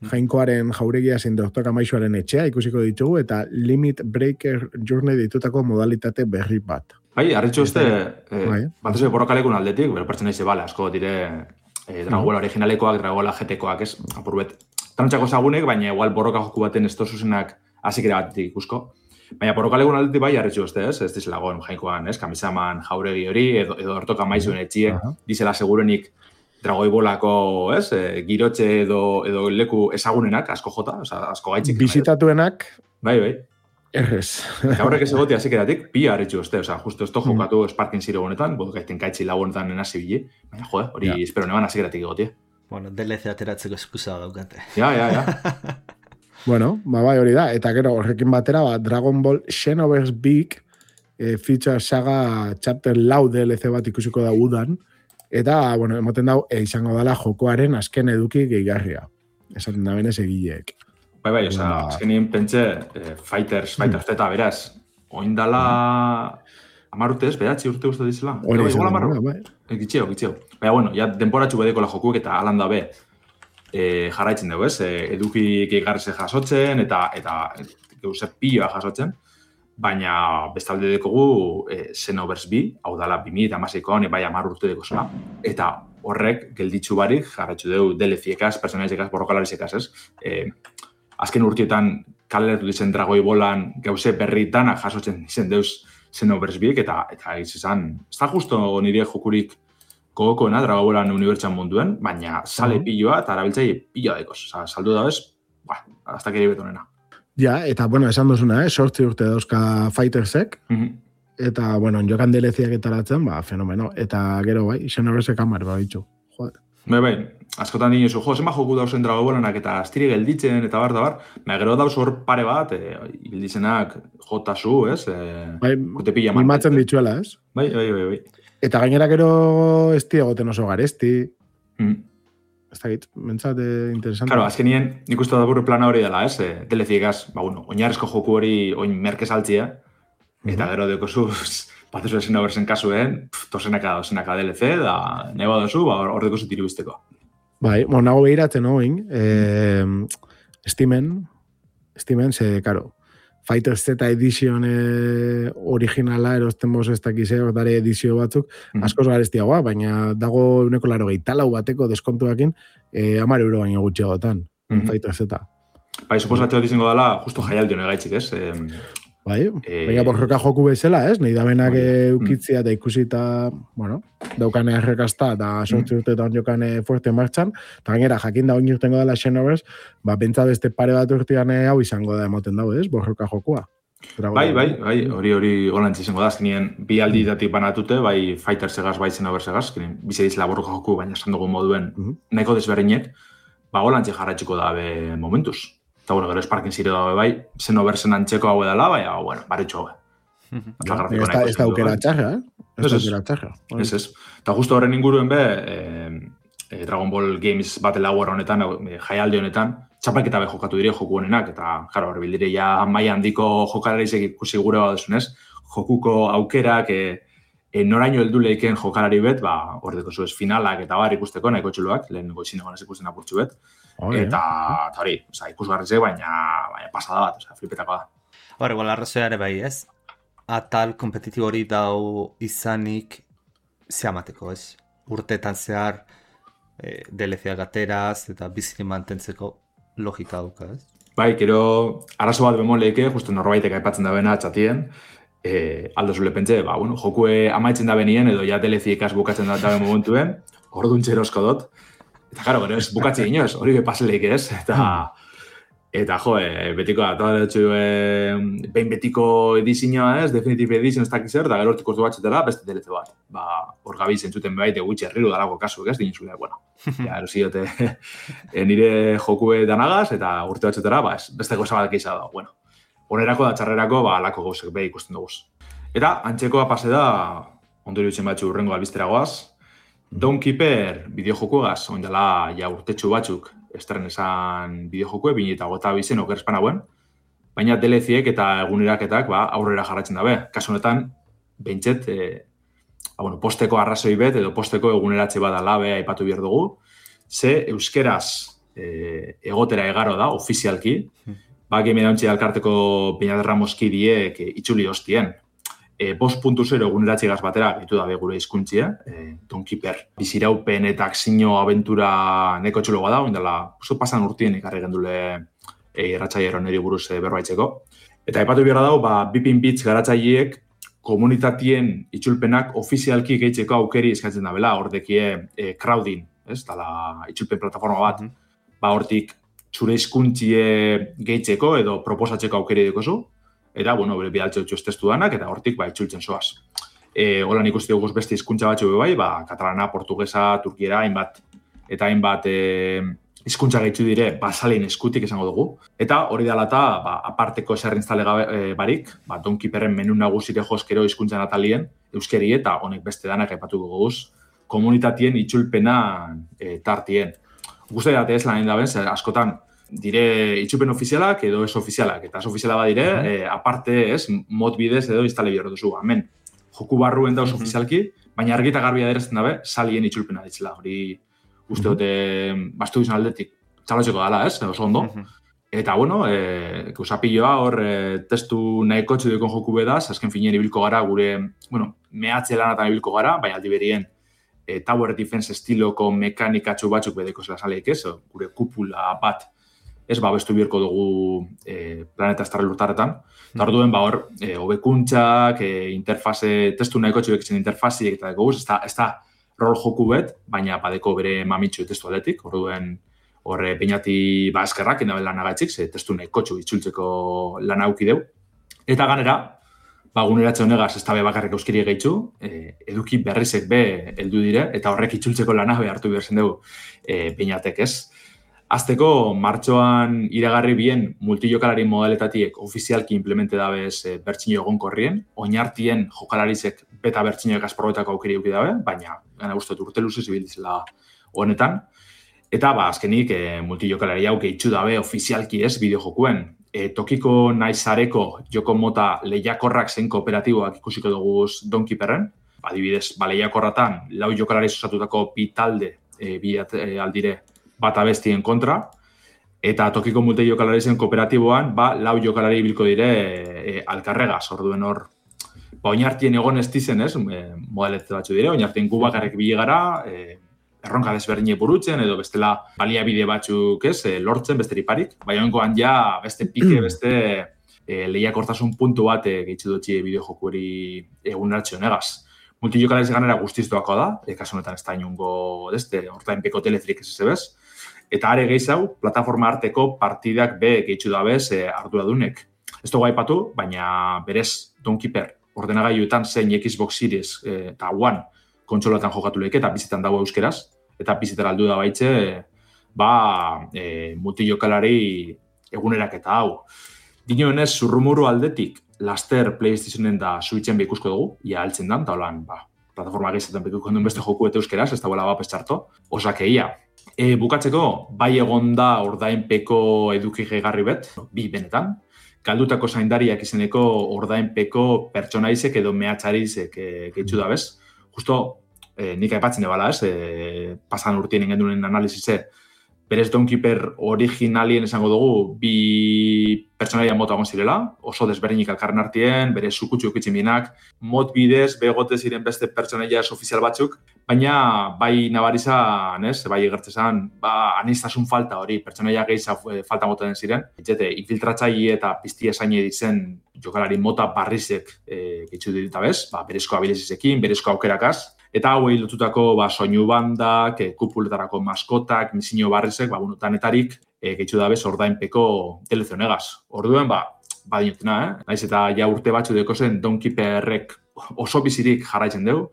Jainkoaren jauregia zein Doktor Amaixoaren etxea ikusiko ditugu, eta Limit Breaker Journey ditutako modalitate berri bat. Bai, arritxu uste, eh, bai. bat ez borrokalekun aldetik, bero pertsona ize bale, asko dire eh, Dragola no. originalekoak, Dragola G T-koak, ez, apurbet. Tanotxako zagunek, baina igual borroka joku baten ez tozuzenak azikera batetik ikusko. Baina borrokalekun aldetik bai, arritxu uste, ez, ez dizelagoen jainkoan, ez, Kamisaman jauregi hori, edo, edo Doktor Amaixoen etxie, uh -huh. dizela segurenik Dragoi Bolako, ez, e, girotxe edo, edo leku ezagunenak, asko jota, oza, asko gaitxik. Bizitatuenak. Bai, bai. Errez. Eta horrek ez egotea zikeratik, pila harritxu uste, oza, justo esto jokatu mm. Sparking Zero honetan, bodo gaiten gaitxi lau honetan nenasi bile, baina, jode, hori ja. espero neban azikeratik egotea. Bueno, D L C ateratzeko eskusa daukate. Ja, ja, ja. Bueno, ba, bai hori da, eta gero horrekin batera, ba, Dragon Ball Xenoverse Big e, Feature Saga Chapter lau D L C bat ikusiko da udan, eta, bueno, emoten dau, e, izango dela jokoaren azken eduki gehigarria. Esaten da benez egileek. Bai, bai, oza, Ba- azkenien pentsa, eh, Fighters, Fighters Z, beraz, oindala hamar urte ez, beratzi urte uste dizela. Hori Bai, izan igual da, hamar- bai. Eh, Gitxeo, gitxeo. Baina, bueno, ja denporatxu bedeko la jokuek eta alan da be e, jarraitzen dugu, ez? E, eduki gehigarreze jasotzen eta eta geuse piloa jasotzen, baina bestalde dekogu e, Xenoverse bi, hau dala bi mila hamaseikoan, bai hamar urte deko zela. Eta horrek gelditzu barik jarraitzu dugu D L C-ekaz, personalizekaz, borrokalarizekaz, ez? E, azken urtietan kaleratu dizen dragoi bolan gauze berritan jasotzen dizen deuz Xenoverse biek, eta eta izan, ez da justo nire jokurik gogokoena Dragon Ballan unibertsan munduen, baina sale piloa eta arabiltzai piloa dekoz. Osa, saldu da bez, ba, hasta kere betonena. Ja, eta, bueno, esan duzuna, eh? Sortzi urte dauzka Fightersek, Mhm. eta, bueno, jokan D L C-ak etaratzen, ba, fenomeno. Eta gero, bai, Xenoverse kamar, ba, bitxu. Joder. Bai, bai, askotan dinosu, jo, zenba joku dauzen Dragon Ballanak eta astiri gelditzen eta bar, da bar, baina gero dauz hor pare bat, e, ibildizenak jotazu, ez? E, Bai, kote pila man- mimatzen dituela, ez? Bai, bai, bai, bai. Eta gainera gero ez egoten oso garesti, Mm. ez da git, mentzat eh, interesante. Claro, azkenien, nik uste da burre plana hori dela, ez? E, D L C-egaz, ba, bueno, oinarrezko joku hori oin merke saltzia, eta gero dekozuz, batezu esen oberzen kasuen, pff, tosenaka dosenaka D L C, da, neba dozu, ba, hor dekozu tiri bizteko. Bai, bueno, nago behiratzen hoin, eh, Steamen, Steamen, ze, karo, Fighter Z Edition eh, originala erosten boz ez dakize, dare edizio batzuk, Mhm. askoz garestiagoa, baina dago uneko laro gehietalau bateko deskontuakin, eh, amar euro baino gutxiagotan, Mhm. Fighter Z. Bai, suposatzea dizengo dela, justo jaialdi hone gaitxik, ez? E, Bai, Eh, baina borroka joku bezala, ez? Nahi da benak Bai. eukitzia eta ikusita, bueno, daukane errekazta eta sortzi urtetan jokane fuerte martxan, eta gainera jakin da oin urtengo dela Xenoverse, ba, pentsa beste pare bat urtean eh, hau izango da emoten dago, ez? Borroka jokua. bai, bai, bai, hori hori holantz izango da, azkenien bi alditatik banatute, bai Fighter segaz, bai Xenoverse segaz, azkenien bize dizela borroka joku, baina esan dugu moduen Mhm. nahiko desberdinek, ba holantze jarratxiko dabe momentuz. Eta bueno, gero Sparking zire dabe bai, Xenoversen antxeko hau edala, baina, bueno, baretxo hau. Ja, ez da, ez da aukera txarra, eh? Ez Ez, da ez. aukera txarra. Ez, ez. Eta justo horren inguruen be, e, e, Dragon Ball Games Battle Hour honetan, e, jaialdi honetan, txapelketa be jokatu dire joku honenak, eta, jaro, hor bildire ja maila handiko jokalarizek ikusi gure baduzunez, jokuko aukerak, e, e, noraino heldu leiken jokalari bet, ba, hor deko zuez finalak eta bar ikusteko, nahiko txuloak, lehen goizin egon ez ikusten apurtxu bet, Hori, eta, eta hori, oza, ikusgarrizek, baina, baina pasada bat, oza, flipetako da. Hor, igual arrazoia ere bai, ez? Atal kompetitibo hori dau izanik zeamateko, ez? Urteetan zehar e, D L C-ak ateraz eta biziki mantentzeko logika dauka, ez? Bai, gero, arazo bat bemoleike, justu norbaitek aipatzen da bena txatien, e, aldo zule pentsa, ba, bueno, jokue amaitzen da benien, edo ja D L C-ekaz bukatzen da dabe momentuen, orduan txerosko dut. Eta, karo, gero ez bukatzi inoz, hori bepasleik ez, eta, eta jo, e, betiko, eta dutxu, e, behin betiko edizioa ez, Definitive Edition ez dakiz zer, da gero hortik ordu batxetela, beste D L C bat. Ba, hor gabiz entzuten baite gutxi herriru dalako kasu, ez, dintzule, bueno. Ja, eroziote, e, nire jokue danagaz, eta urte batxetera, ba, ez, beste goza bat gehiago da, bueno. Onerako da txarrerako, ba, alako gauzek behi ikusten dugu. Eta, antxekoa pase da, ondorio itzen batxu urrengo albisteragoaz, Dawn Keeper bideojokuegaz, oindala ja urtetxu batzuk estren esan bideojokue, bine eta gota bizen okerespan hauen, baina D L C-ek eta eguneraketak ba, aurrera jarratzen dabe. Kasu honetan, behintzet, e, ba, bueno, posteko arrazoi bet edo posteko eguneratze badala be aipatu behar dugu, ze euskeraz e, egotera egaro da, ofizialki, ba, game dauntzi alkarteko Peñaderra Moskidiek e, itxuli hostien. E, bost puntu zero eguneratxegaz batera gaitu dabe gure hizkuntzia, e, Dawn Keeper. Biziraupen eta akzio abentura neko txulo bada, oindela, oso pasan urtien ikarri gendule e, irratxaiero niri buruz e, berbaitzeko. Eta aipatu behar dago, ba, Bipin Bits garatzaileek komunitatien itzulpenak ofizialki gehitzeko aukeri eskatzen da bela, hordekie e, crowding, ez, dala itzulpen plataforma bat, ba, hortik zure hizkuntzie gehitzeko edo proposatzeko aukeri dekozu, eta, bueno, bere bidaltze dutxoz testu danak, eta hortik, ba, itzultzen zoaz. E, holan ikusti dugu beste hizkuntza batzu bai, ba, katalana, portugesa, turkiera, hainbat, eta hainbat e, hizkuntza gaitzu dire, basalin eskutik esango dugu. Eta hori dela eta, ba, aparteko eserrintzale gabe e, barik, ba, Dawn Keeperren menu nagusire jozkero hizkuntza natalien, euskeri eta honek beste danak aipatuko goguz, komunitatien itzulpena e, tartien. Guzti date ez lan daben, zer askotan dire itxupen ofizialak edo ez ofizialak. Eta ez ofiziala badire, uh -huh. e, aparte, ez, mod bidez edo instale bihar duzu. Hemen, joku barruen dauz uh -huh. ofizialki, baina argita garbia aderazten dabe, salien itxulpena ditzela. Hori, uste dute, uh -huh. bastu izan aldetik, txalotzeko dala, ez, oso ondo. Uh -huh. Eta, bueno, e, usapilloa hor e, testu nahiko txudikon joku bedaz, azken finien ibilko gara gure, bueno, mehatze lanatan ibilko gara, baina aldi berien e, Tower Defense estiloko mekanikatxo batzuk bedeko zela saleik ez, gure kupula bat ez babestu bierko dugu e, planeta estarra lurtarretan. Eta hor duen, ba hor, e, hobekuntzak, e, interfase, testu nahiko txudek zen interfaziek eta deko guz, ez da, ez da rol joku bet, baina badeko bere mamitxu testu aldetik, hor duen, horre peinati ba eskerrak enabel lan agaitzik, ze testu nahikotxu itzultzeko lan auki deu. Eta ganera, ba guneratze honegaz ez da be bakarrik euskiri gehitzu, e, eduki berrizek be heldu dire, eta horrek itzultzeko lana be hartu behar zen dugu e, peinatek ez. Azteko, martxoan iragarri bien multijokalari modaletatik ofizialki implemente dabez e, bertxinio egon korrien, oinartien jokalarizek beta bertxinioek asprobetako aukeri euki dabe, baina gana guztot urte luzez ibildizela honetan. Eta, ba, azkenik, e, multijokalari hau gehitxu dabe ofizialki ez bideojokuen. E, tokiko naizareko joko mota lehiakorrak zein kooperatiboak ikusiko dugu Donkeyperren. Adibidez, ba, lehiakorratan lau jokalari osatutako bi talde e, bi e, aldire bat abestien kontra. Eta tokiko multijokalari zen kooperatiboan, ba, lau jokalari bilko dire e, e, alkarregaz, orduen hor. Ba, oinartien egon ez dizen, ez, e, modaletze batzu dire, oinartien gu bakarrik bile gara, e, erronka desberdine burutzen, edo bestela baliabide batzuk ez, e, lortzen besteri-parik. Baina honkoan ja beste pike, beste e, lehiakortasun puntu bat e, gehitzu dutxi bideojoku hori eguneratxe honegaz. Multijokalariz ganera guztiz doako da, e, kasu honetan ez da inungo, deste, hortain peko teletrik ez ezebez. Eta are gehiago, plataforma arteko partidak be gehitzu dabez e, arduradunek. Ez dugu aipatu, baina berez Donkeyper ordenagailuetan zein Xbox Series e, eta One kontsolatan jokatu lehik eta bizitan dago euskeraz, eta bizitan aldu da baitxe, ba, e, multijokalari egunerak eta hau. Dinoenez, zurrumuru aldetik, laster PlayStationen da Switchen behikusko dugu, ia altzen dan, eta holan, ba, plataforma gehiagotan behikuko duen beste joku eta euskeraz, ez da bola bapes txarto, osakeia. E, bukatzeko, bai egon da ordainpeko eduki gehigarri bet, bi benetan, galdutako zaindariak izeneko ordainpeko pertsonaizek edo mehatxarizek e, gehitzu da bez. Justo, eh, nik aipatzen ebala, ez, eh, pasan urtien ingendunen analizize, berez Donkeyper originalien esango dugu, bi pertsonaia mota egon zirela, oso desberdinik alkarren artien, bere sukutxu eukitxin bienak, mod bidez, begote ziren beste pertsonaia ofizial batzuk, baina bai nabarizan, ez, bai egertzezan, ba, aniztasun falta hori, pertsonaia gehiago falta moten ziren, etxete, infiltratzaile eta pizti esaine ditzen jokalari mota barrizek e, gehitzu dita bez, ba, berezko abilizizekin, berezko aukerakaz, eta hauei lotutako ba, soinu bandak, e, kupuletarako maskotak, misio barrizek, ba, bueno, tanetarik e, gehitzu da bez ordainpeko telezionegaz. Orduen, ba, badinotena, eh? Naiz eta ja urte batzu deko zen Donkeyperrek oso bizirik jarraitzen dugu,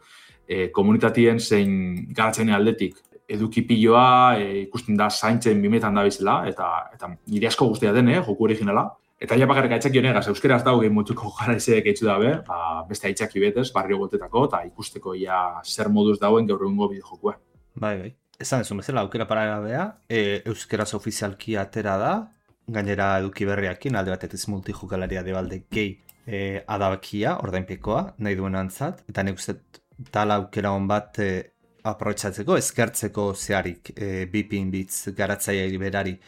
e, komunitatien zein garatzen aldetik eduki piloa, e, ikusten da zaintzen bimetan da bizela, eta, eta nire asko guztia den, eh, joku originala. Eta ja bakarrik aitzaki honegaz, euskaraz dago gehi mutuko jarraizek eitzu dabe, ba, beste aitzaki betez, barrio gotetako, eta ikusteko ja zer moduz dauen gaur egungo bideojokua. Bai, bai. Esan ez bezala, aukera paragabea, e, euskaraz ofizialki atera da, gainera eduki berriakin, alde batetez multijokalaria debalde gehi e, adabakia, ordainpekoa, nahi duen antzat, eta nik uste tala aukera hon bat e, aprobetxatzeko, eskertzeko zeharik, e, bipin bitz garatzaia berari,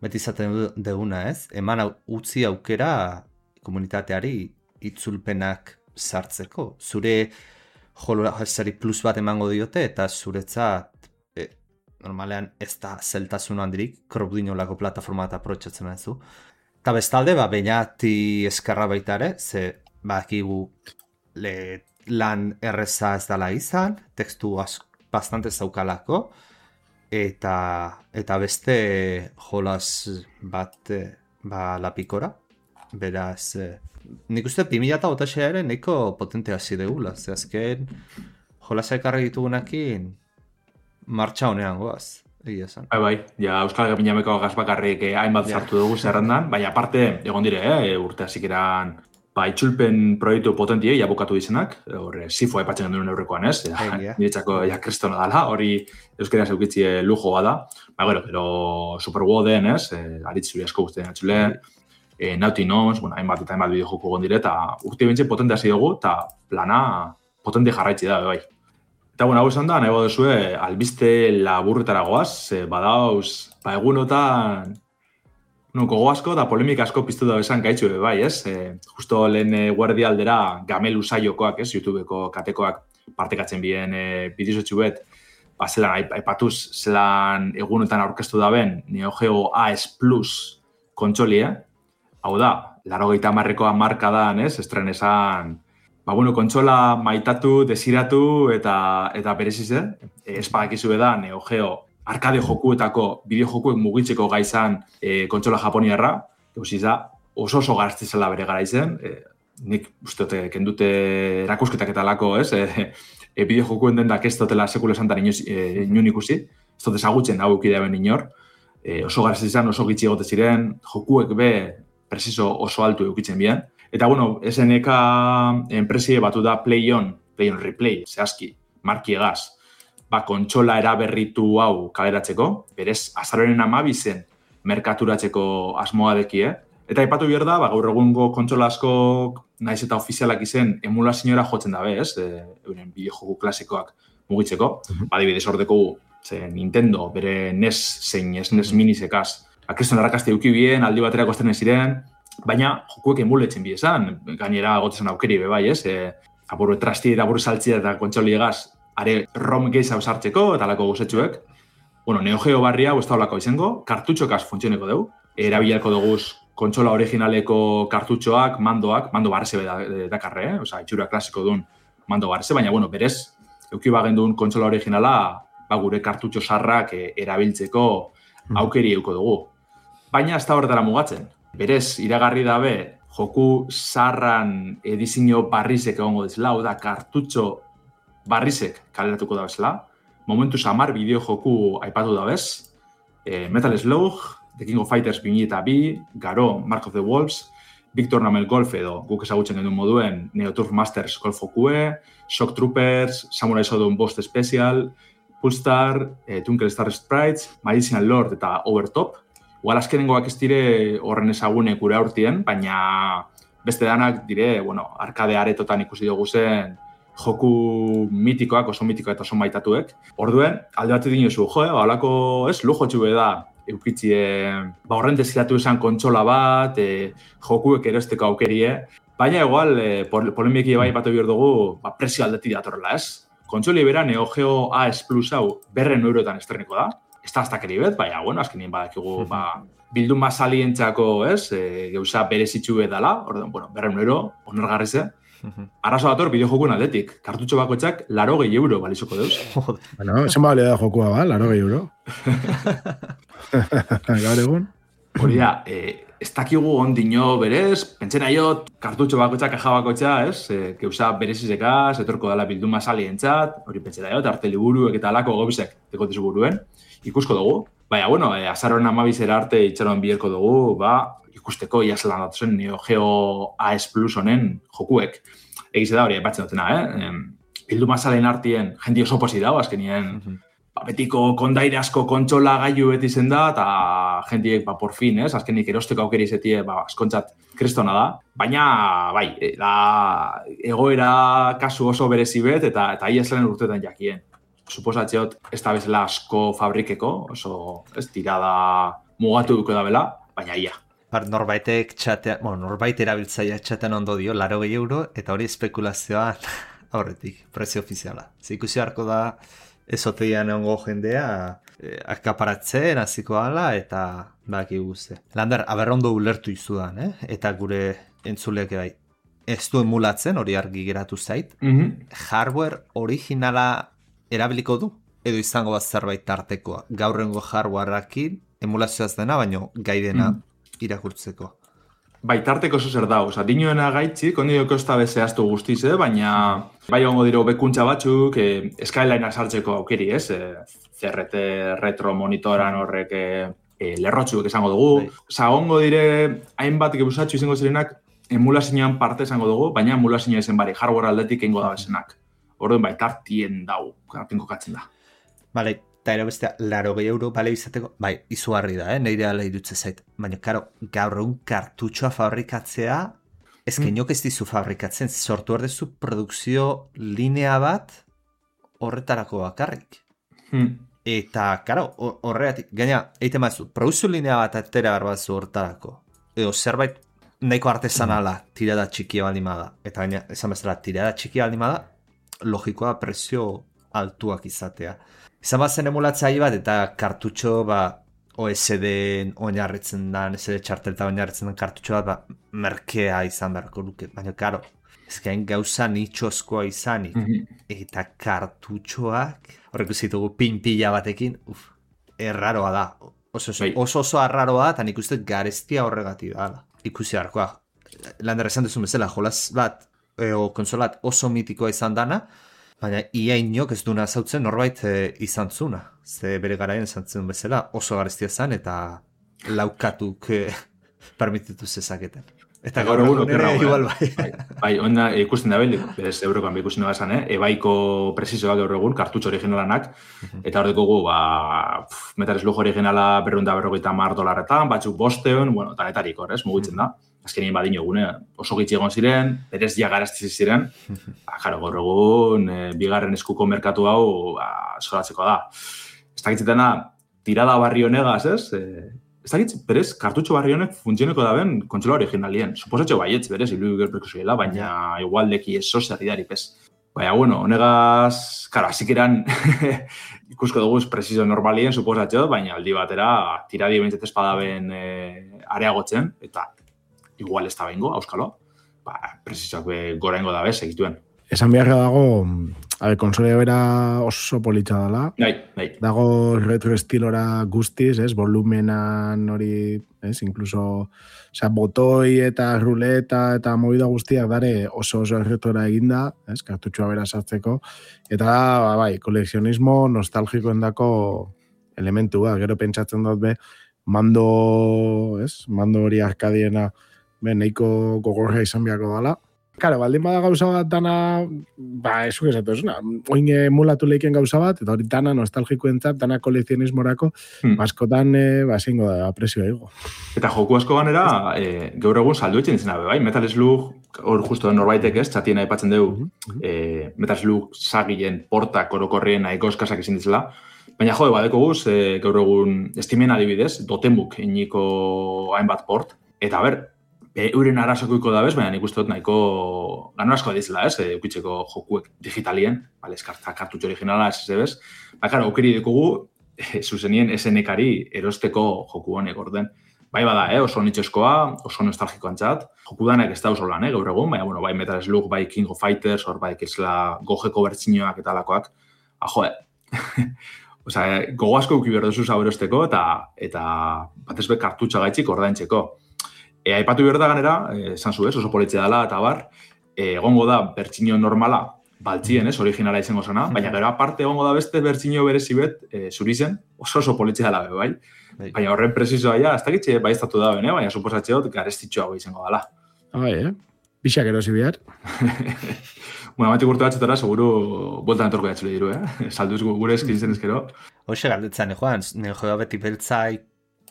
beti izaten duguna, ez? Eman utzi aukera komunitateari itzulpenak sartzeko. Zure jolazari plus bat emango diote eta zuretzat e, normalean ez da zeltasun handirik Crowdinolako plataforma eta aprobetxatzen duzu. Eta bestalde, ba, bainati eskarra baita ere, ze bakigu le, lan erreza ez dala izan, tekstu asko bastante zaukalako, eta eta beste jolas bat ba lapikora. Beraz, nik uste bi mila hogeita sei ere nahiko potente hasi degula, ze azken jolasa ekarri ditugunekin martxa honean goaz. Egia esan. Bai, bai, ja Euskal Gabinameko gaz bakarrik eh, hainbat yeah. sartu dugu zerrendan, baina aparte egon dire, eh, urte hasikeran ba, itxulpen proiektu potentiei abokatu izenak, hor, sifo aipatzen duen aurrekoan, ez? Niretzako, ja, kristona dala, hori euskera zeukitzi lujoa da. Ba, gero, gero, Superworlden, ez? Aritzuri asko guztien atxule, E, Naughty Noms, bueno, hainbat eta hainbat bideojoku gondire, eta urte bintze potente hasi dugu, eta plana potente jarraitzi da, bai. Eta, bueno, hau esan da, nahi baduzue, albiste laburretara goaz, e, badauz, ba, egunotan, no, gogo asko eta polemika asko piztu da esan gaitxu, bai, ez? E, justo lehen e, guardi aldera Gamelu saiokoak, ez? YouTubeko katekoak partekatzen bien e, bidizotxu bet, ba, zelan, aipatuz, zelan egunotan aurkeztu da ben, Neo Geo A S Plus kontsolia, hau da, laurogeita hamarrekoa marka da, ez? Estren esan, ba, bueno, kontsola maitatu, desiratu eta eta bereziz, eh? Espadakizu da, Neo Geo arkade jokuetako, bideo jokuek mugitzeko gaizan e, kontsola japoniarra, eusiz da, oso oso garaztizela bere gara izen, e, nik uste dute, kendute erakusketak eta lako, ez? E, e, bideo jokuen dendak ez dutela sekulo esantan inoz, e, inon ikusi, ez dut ezagutzen hau eukidea ben inor, e, oso garaztizan, oso gitxi egote ziren, jokuek be, presizo oso altu eukitzen bien. Eta, bueno, S N K enpresie batu da Play On, Play On Replay, zehazki, marki egaz, ba, kontsola eraberritu hau kaleratzeko, berez, azaroren amabizen merkaturatzeko asmoa dekie. Eta aipatu behar da, ba, gaur egungo kontsola asko naiz eta ofizialak izen emulazioa jotzen dabe, ez? E, euren bideojoku klasikoak mugitzeko. Mm-hmm. Adibidez ordeko ze Nintendo, bere N E S zein S N E S minisekaz, akreston arrakazte euki bien, aldi baterako aztenen ziren, baina jokuek emuletzen bi esan, gainera gotezen aukeri be bai, ez? E, apuru trasti eta apuru saltzia eta kontsoliegaz, are ROM gehiago sartzeko eta alako guzetxuek. Bueno, Neo Geo barria ez da olako izango, kartutxokaz funtzioneko dugu, erabilarko dugu kontsola originaleko kartutxoak, mandoak, mando barrese dakarre, eh? Osa, itxura klasiko duen mando barrese, baina, bueno, berez, euki bagen duen kontsola originala, ba, gure kartutxo sarrak e, erabiltzeko aukeri euko dugu. Baina ez da horretara mugatzen. Berez, iragarri dabe, joku zarran edizio barrizek egongo dizela, hau da, kartutxo barrizek kaleratuko da bezala. Momentu samar bideo joku aipatu da bez. E, Metal Slug, The King of Fighters bi mila bi, Garo, Mark of the Wolves, Big Tournament Golf edo guk ezagutzen genuen moduen Neo Turf Masters Golf jokue, Shock Troopers, Samurai Shodown Bost Special, Pulstar, eh, Twinkle Star Sprites, Magician Lord eta Overtop. Igual azkenengoak ez dire horren ezagune gure aurtien, baina beste danak dire, bueno, arkade aretotan ikusi dugu zen joku mitikoak, oso mitikoak eta oso maitatuek. Orduen, alde bat dinosu, jo, eh, halako, ez, lujo txube da, eukitzi, eh, ba, horren desiratu esan kontsola bat, eh, jokuek erosteko aukerie, baina igual, eh, polemiki bai batu behar dugu, ba, presio aldeti datorrela, ez? Kontsoli bera Neo Geo A S Plus hau berren eurotan estreneko da. Ez da aztakeri bet, baina, bueno, azkenien badakigu, ba, bildun basalientzako, ez, e, geuza berezitxu edala, orduan, bueno, berren euro, onergarri ze. Arrazo dator, bideo jokuen aldetik. Kartutxo bakoitzak laro gehi euro balizoko deuz. Bueno, zen bale da jokua, ba, laro gehi euro. Gaur egun. Hori da, e, ez dakigu ondino berez, pentsena jo, kartutxo bakoitzak, kaja bakoitza, ez, e, geuza berezizekaz, etorko dela bildun basalientzat, hori pentsena jo, arte liburuek eta alako gobizek dekotizu buruen. Ikusko dugu. Baina, bueno, e, azaroren amabizera arte itxaroan biherko dugu, ba, ikusteko iazlan datuzen Neo Geo A S Plus honen jokuek. Egize da hori, aipatzen dutena, eh? Bildu mazalen artien, jendi oso posi dago, azkenien, mm-hmm. ba, betiko kondaire asko kontsola gaiu beti zen da, eta jendiek, ba, por fin, ez? Azkenik erosteko aukeri izetie, ba, askontzat kristona da. Baina, bai, da, egoera kasu oso berezi bet, eta, eta iazlan urtetan jakien. Suposatzeot, ez da bezala asko fabrikeko, oso ez tirada mugatu duko da bela, baina ia. Bar, norbaitek txatea, bueno, norbait erabiltzaia txatean ondo dio, laro gehi euro, eta hori espekulazioa aurretik, prezio ofiziala. Ze ikusi harko da, ezoteian ongo jendea, eh, akaparatzen, hasiko ala, eta baki guzti. Lander, aberrondo ulertu izudan, eh? Eta gure entzuleak bai. Ez du emulatzen, hori argi geratu zait. Mm-hmm. Hardware originala erabiliko du, edo izango bat zerbait tartekoa. Gaurrengo hardwareakin emulazioaz dena, baino gaidena mm. irakurtzeko. Bai, tarteko oso zer da, oza, dinoena gaitzik, ondio kosta bezehaztu guztiz, eh? Baina bai ongo diro bekuntza batzuk, eh, Skylineak sartzeko aukeri, ez? Eh, C R T retro monitoran horrek eh, lerrotxuk esango dugu. Bai. Oza, ongo dire, hainbat gebusatxu izango zirenak, emulazioan parte esango dugu, baina emulazioa izen bari, hardware aldetik eingo da bezenak. Orduen bai, tartien dau, tartien kokatzen da. Bale, eta ero bestea, laro gehi euro bale izateko, bai, izugarri da, eh? Neire ala irutze zait. Baina, karo, gaur egun kartutxoa fabrikatzea, ezken mm. jok ez dizu fabrikatzen, sortu erdezu produkzio linea bat horretarako bakarrik. Mm. Eta, karo, horregatik, gaina, eite mazu, produkzio linea bat atera barbazu horretarako. Edo, zerbait, nahiko artesanala tirada txikia baldimada. Eta gaina, esan bezala, tirada txikia baldimada, logikoa prezio altuak izatea. Izan bat zen emulatzaile bat, eta kartutxo, ba, O S D oinarritzen da, O S D txartelta oinarritzen den kartutxo bat, ba, merkea izan beharko luke. Baina, karo, ezkain gauza nitxozkoa izanik, mm-hmm. eta kartutxoak, horrek uzitugu pinpila batekin, uf, erraroa da. Oso oso, oso, oso arraroa da, eta nik uste garestia horregatik da. Ikusi harkoa. Lander esan duzun bezala, jolaz bat, e, o konsolat oso mitikoa izan dana, baina ia inok ez duna zautzen norbait e, izan zuna. Ze bere garaien izan zen bezala oso garestia zen eta laukatuk e, permititu zezaketen. Eta gaur egun ere igual bai. Bai, bai onda ikusten da belik, berez eurokan ikusten da esan, eh? Ebaiko presizoa gaur egun, kartutxo originalanak, eta hor dekugu, ba, pff, Metal Slug originala berrunda berrogeita mar dolarretan, batzuk bosteon, bueno, tanetarik hor, ez, mugitzen da. Azkenien badin egune, oso gitxi egon ziren, berez ja garaztiz ziren, ba, jaro, gaur egun, e, bigarren eskuko merkatu hau, ba, zoratzeko da. Ez dakitzetena, tirada barri honegaz, ez? E, ez dakitz, berez, kartutxo barri honek funtzioneko da ben kontsola originalien. Suposatxo baietz, berez, ilu gerpreko zuela, baina igual deki eso zerridari, pez. Baina, bueno, honegaz, karo, hasik eran ikusko dugu prezizio normalien, suposatxo, baina aldi batera, tiradi bintzat espadaben e, areagotzen, eta igual ez da bengo, auskalo, ba, prezizioak gora ingo da bez, egituen. Esan beharra dago, a ver, konsolea bera oso politxa dela. Bai, bai. Dago retro estilora guztiz, ez, volumenan hori, ez, incluso, osea, botoi eta ruleta eta movida guztiak dare oso oso retora eginda, ez, kartutxoa bera sartzeko, eta da, ba, bai, kolekzionismo nostalgikoen dako elementua, gero pentsatzen dut be, mando, ez, mando hori arkadiena, be, nahiko gogorra izan beharko dela. Karo, baldin bada gauza bat dana, ba, esuk esatu esuna, oin emulatu leiken gauza bat, eta hori dana nostalgikoentzat, dana kolekzionismorako, hmm. askotan, e, ba, zingo da, presioa ego. Eta joku asko ganera, e, gaur egun saldu etxen izena, bai, Metal Slug, hor justo norbaitek ez, txatien aipatzen dugu, mm-hmm. e, Metal Slug sagilen portak orokorrien nahiko eskasak izin ditzela, baina jo, badeko guz, e, gaur egun estimen adibidez, Dotenbuk iniko hainbat port, eta ber, euren arazokoiko da bez, baina nik uste dut nahiko gano asko dizela, ez, eukitzeko jokuek digitalien, bale, eskartza kartutxo originala, ez ez bez, ba, karo, aukeri dikugu, e, zuzenien S N K-ari erosteko joku honek orden. Bai bada, eh, oso nitxoskoa, oso nostalgikoan txat, joku danak ez da oso lan, eh, gaur egun, baina, bueno, bai Metal Slug, bai King of Fighters, hor bai kesla gogeko bertxinoak eta alakoak, ah, joe, osea, gogo asko uki behar duzu zaberosteko, eta, eta batez be kartutxa gaitxik ordaintzeko. E, aipatu behar da ganera, esan zu ez, oso politzia dela eta bar, e, egongo da bertxinio normala, baltzien ez, originala izango zena, baina gero aparte egongo da beste bertxinio berezi bet, e, zuri zen, oso oso politzia dela be, bai? Bai. Baina horren presizoa ja, ez dakitxe bai estatu da ben, eh? Baina suposatxeot garestitxoago izango dela. Bai, eh? Bixak erosi behar. Bueno, amatik urte batxetara, seguru, bueltan etorko jatxule diru, eh? Salduz gure eskintzen ezkero. Hoxe galdetzen, eh, Joan, nire joa beti beltzaik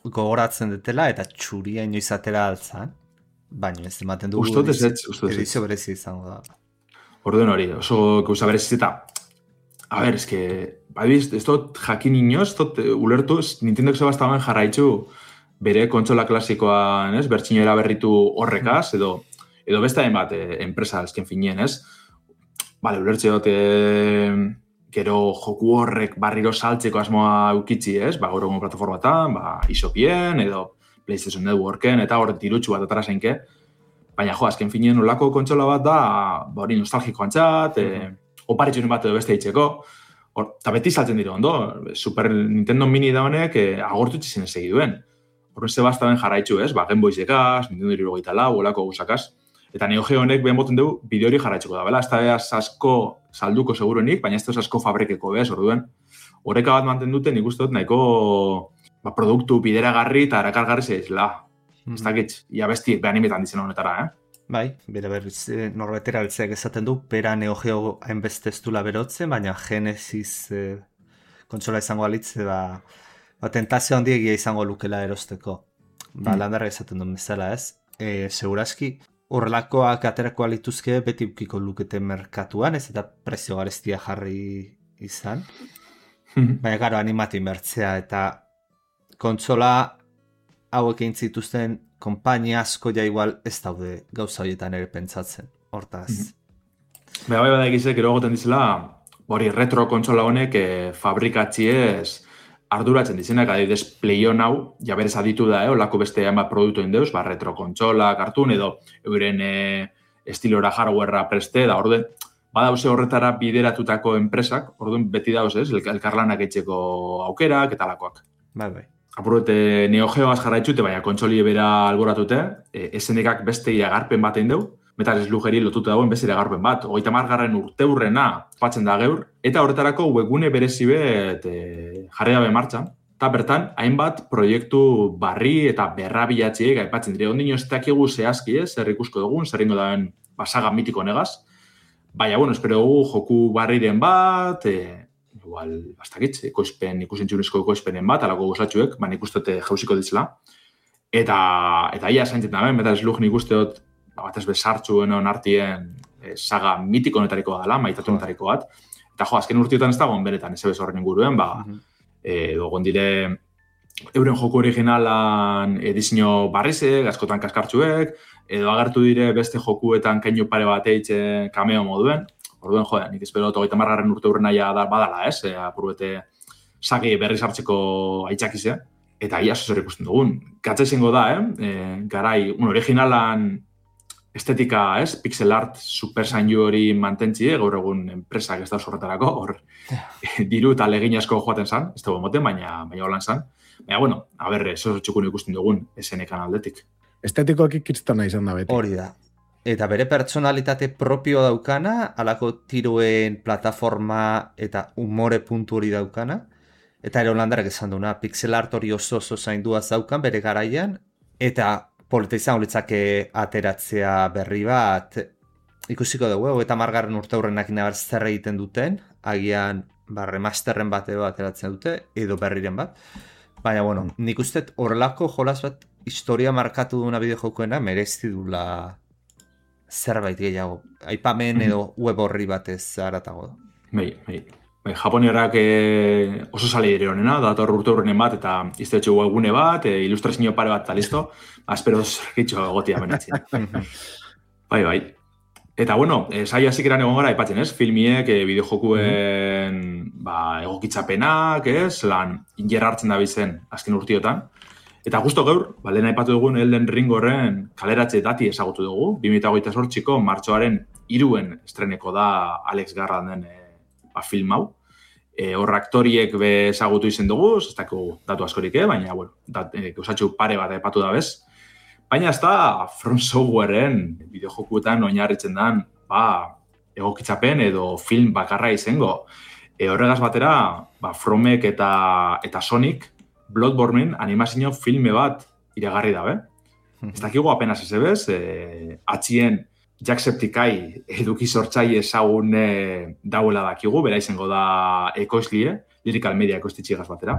gogoratzen detela eta txuria inoiz atera altzan, baina ez ematen dugu Ustot ez ez, ustot ez. Edizio berezi izango da. Orduen hori, oso gauza berezi eta, a ber, eske, badiz, ez dut jakin inoz, ez dut ulertu, Nintendok zebastamen jarraitzu bere kontsola klasikoan, ez, bertxino eraberritu horrekaz, edo, edo beste hainbat eh, enpresa ezken finien, ez? Bale, ulertze dut, eh, gero joku horrek barriro saltzeko asmoa eukitzi, ez? Ba, gaur egun plataformatan, ba, isopien, edo PlayStation Networken, eta hor dirutxu bat atara zeinke. Baina, jo, azken finien olako kontsola bat da, ba, hori nostalgikoan txat, e, oparitxunen bat edo beste hitzeko. Hor, eta beti saltzen dira ondo, Super Nintendo Mini da honek, e, agortu txizien segi duen. Horren zebastaben jarraitzu, ez? Ba, Game Boy zekaz, Nintendo hirurogeita lau, olako guzakaz. Eta Neo Geo honek behan boten dugu bideo hori jarraitzuko da, bela? Ez da asko salduko seguruenik, baina ez da asko fabrikeko, bez, orduen. Horreka bat manten duten, nik uste dut nahiko ba, produktu bideragarri eta erakargarri zeizela. Mm-hmm. Ez dakit, ia besti, behan imetan dizen honetara, eh? Bai, bere berriz norbetera beltzeak esaten du, pera Neo Geo hainbeste ez dula berotzen, baina Genesis eh, kontsola izango alitze, ba, ba tentazio handiegia izango lukela erosteko. Ba, mm. landarra esaten duen bezala ez. E, seguraski, horrelakoak aterako alituzke beti ukiko lukete merkatuan, ez eta prezio garestia jarri izan. Baina, garo, animatu inbertzea eta kontsola hauek egin zituzten konpainia asko ja igual ez daude gauza horietan ere pentsatzen. Hortaz. Mm-hmm. Baina, bai bada egizek, ero goten dizela, hori retro kontsola honek eh, fabrikatziez arduratzen dizenak, adibidez Playon hau, ja berez aditu da, eh, olako beste hainbat produktu indeuz, ba, retro kontsola, kartun, edo euren eh, estilora hardwarea preste, da orden, badauze horretara bideratutako enpresak, orduan beti dauz, ez, elkarlanak etxeko aukerak, eta lakoak. Bai, bai. Apurrete Neo Geoaz jarraitxute, baina kontsolie bera alboratute, e, esenekak beste iragarpen bat egin deu, Metal Slugeri lotuta dagoen beste iragarpen bat, hogeita hamargarren urteurrena patzen da gaur, eta horretarako webgune berezi bet e, jarri dabe martxan, eta bertan, hainbat proiektu barri eta berrabilatziek aipatzen dire, ondino ez dakigu zehazki ez, zer ikusko dugun, zer ingo daben basaga mitiko negaz, baina, bueno, espero dugu joku barriren bat, e, igual, bastakitz, ekoizpen, ikusentzunezko ekoizpenen bat, alako gozatxuek, baina ikustote jauziko ditzela. Eta, eta ia zaintzen da, Metal Slug nik usteot, batez bezartxuen onartien e, saga mitiko netariko dela, maitatu netariko bat. Eta jo, azken urtiotan ez dagoen beretan, ez ebez horren inguruen, ba, uh-huh. e, dogon dire, euren joku originalan edizio barrizek, askotan kaskartxuek, edo agertu dire beste jokuetan keinu pare bat eitxe kameo moduen. Orduen, jo, nik espero hogeita hamargarren urte hurren naia badala, ez? E, apurbete sagi berriz hartzeko aitzakizea. Eta ia zer ikusten dugun. Katze izango da, eh? E, garai, un originalan estetika, ez? Pixel art super zainu hori mantentzi, gaur egun enpresak ez da horretarako, hor diru eta legin asko joaten zan, ez dago moten, baina baina holan zan. Baina, bueno, a ber, eso txukun ikusten dugun, esenekan aldetik. Estetikoak ikitstana izan da beti. Hori da. Eta bere pertsonalitate propio daukana, alako tiroen plataforma eta umore puntu hori daukana. Eta ere holandarak esan duna, pixel art hori oso oso zainduaz daukan bere garaian. Eta polita izan horitzake ateratzea berri bat, ikusiko dugu, eta margarren urte hurrenak inabar zer egiten duten, agian ba, remasterren bat edo ateratzen dute, edo berriren bat. Baina, bueno, nik uste horrelako jolas bat historia markatu duna bideojokoena merezi dula zerbait gehiago. Aipamen edo web horri batez haratago da. Bai, bai. Bai, Japoniarrak e, oso sale dire honena, dator urte horrenen bat, eta iztetxo webgune bat, e, ilustrazio pare bat, eta listo. Aspero zerkitxo gotia benetzia. Bai, bai. Eta, bueno, e, saia zikeran egon gara, aipatzen, ez? Filmiek, e, bideojokuen mm-hmm. ba, egokitzapenak, ez? Lan, ingerra hartzen da bizen azken urtiotan. Eta justo gaur, ba, lehen aipatu dugun Elden Ring horren kaleratze dati ezagutu dugu. bi mila hogeita zortziko martxoaren hiruen estreneko da Alex Garland den e, ba, film hau. E, hor aktoriek be ezagutu izen dugu, ez dakigu datu askorik, eh? Baina, bueno, dat, e, gauzatxu pare bat aipatu da bez. Baina ez da From Softwareen bideojokuetan oinarritzen den ba, egokitzapen edo film bakarra izango. E, horregaz batera, ba, Fromek eta, eta Sonic Bloodborne animazio filme bat iragarri dabe. Ez dakigu apenas ez ebez, e, atxien Jacksepticeye eduki sortzaile ezagun e, dauela dakigu, bera izango da ekoizlie, Lyrical Media ekoiztitxigaz batera.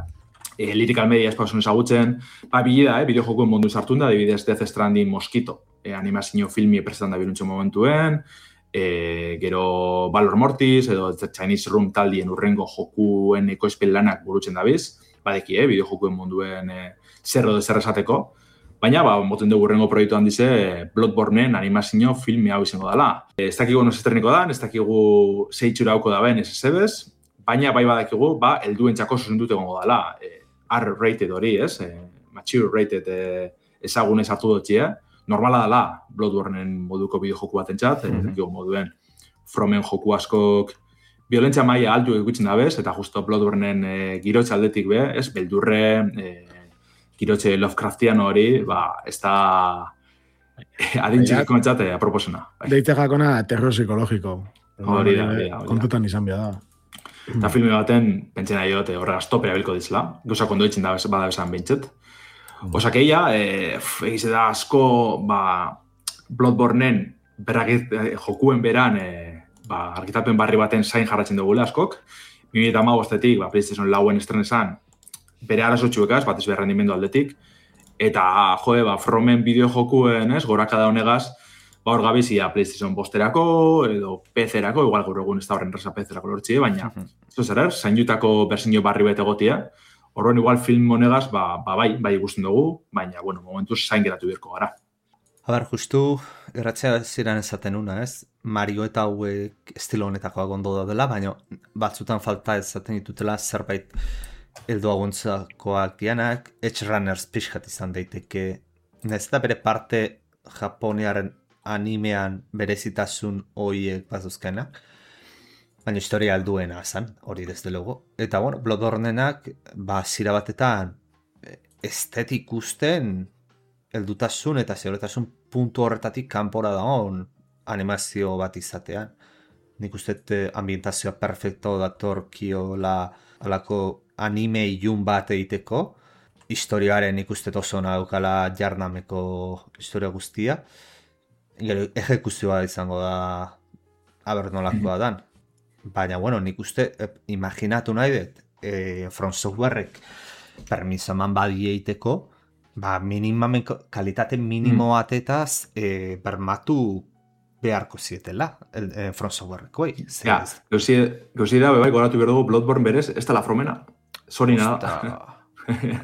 E, Lyrical Media espausun ezagutzen, ba, bilida, eh, bideojokuen mundu sartun da, adibidez Death Stranding Mosquito, e, animazio filmi prestan da biruntxo momentuen, e, gero Valor Mortis, edo Chinese Room taldien urrengo jokuen ekoizpen lanak burutzen dabiz, badeki, eh, bideojokuen munduen e, zerro de zer esateko, baina, ba, moten dugu urrengo proiektuan dize Bloodborneen animazio filmi hau izango dela. E, ez dakigu nos estreniko da, ez dakigu zeitxura hauko da ben ez ezebez, baina bai badakigu, ba, helduen txako zuzendut egongo dela. E, R-rated hori, ez? E, mature rated e, ezagunez hartu dutxia. Normala dela Bloodborneen moduko bideojoku bat entzat, mm-hmm. ez dakigu moduen Fromen joku askok violentzia maila altu egutzen da bez, eta justo Bloodborneen e, girotxe aldetik be, ez? Beldurre, e, girotxe Lovecraftiano hori, ba, ez da adintxik komentzate aproposena. Deitze jakona terror psikologiko. Hori da, hori da. Kontutan izan bia da. Eta filme baten, pentsen nahi dut, horregaz topera bilko dizela. Gauza kondo ditzen da bada bezan bintxet. Osa que ia, e, egize da asko, ba, Bloodborne-en berrakit, eh, jokuen beran eh, ba, argitapen barri baten zain jarratzen dugula askok. bi mila hamabostetik ba, PlayStation lauen estrenesan bere arazotxuekaz, batez behar rendimendu aldetik. Eta, joe, ba, Fromen bideo jokuen, ez, gorakada honegaz, ba, hor gabizia PlayStation bosterako, edo P C-erako, igual gaur egun ez da horren resa P C-erako lortxie, baina, ez zer, er, zainutako berzinio barri bete gotia, horren igual film honegaz, ba, ba, bai, bai ikusten dugu, baina, bueno, momentuz zain geratu birko gara. A ber, justu, erratzea ziren ezaten una, ez? Mario eta hauek estilo honetakoak ondo daudela, baina batzutan falta ezaten ditutela zerbait eldo aguntzakoak dianak, Edge Runners pixkat izan daiteke. Ez da bere parte Japoniaren animean berezitasun horiek bazuzkenak, baina historia alduena zan, hori desde logo. Eta, bueno, Bloodborne-enak, ba, zira batetan estetik usten heldutasun eta zeuretasun puntu horretatik kanpora dagoen animazio bat izatean. Nik uste ambientazioa perfecto datorkiola alako anime ilun bat egiteko. Historiaren nik uste oso daukala jarnameko historia guztia. Gero, ejekuzioa izango da aber nolakoa dan. Baina, bueno, nik uste imaginatu nahi dut e, From Softwarek permiso eman badi egiteko, ba, minimamen, kalitate minimo batetaz e, bermatu beharko zietela, e, From Softwarekoi. Ja, gauzi da, bai, goratu behar dugu Bloodborne berez, ez da la Fromena. Zori nada.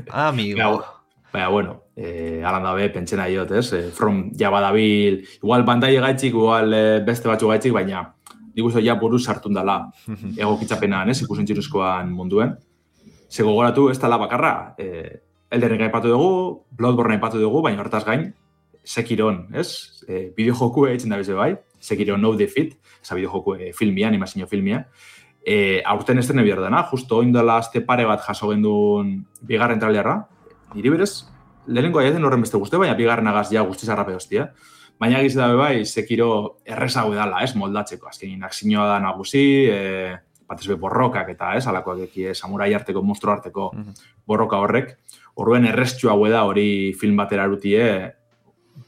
Amigo. Baina, bueno, eh, alan dabe, pentsena diot, ez? Eh, From ja badabil, igual Bandai gaitxik, igual eh, beste batzu gaitxik, baina nik uste ja buruz sartun dela egokitzapenan, ez? Ikusentziruzkoan munduen. Zego goratu, ez dela bakarra. Eh, Elden Ring aipatu dugu, Bloodborne aipatu dugu, baina hortaz gain, Sekiron, ez? Eh, bideojoku egiten da beze bai, Sekiron No Defeat, eza bideojoku eh, filmia, animazio filmia. Eh, aurten estrene behar dena, justo oindela azte pare bat jaso gendun bigarren trailerra. Niri berez, lehenengo aiaten horren beste guzti, baina bigarren agaz ja guztiz arrape hostia. Baina egiz dabe bai, Sekiro errezago edala, ez, moldatzeko. Azkenin, akzinioa da nagusi, e, batez be borrokak eta, ez, alakoak eki, samurai arteko, monstru arteko borroka horrek. Horren erreztxu hau da hori film batera erutie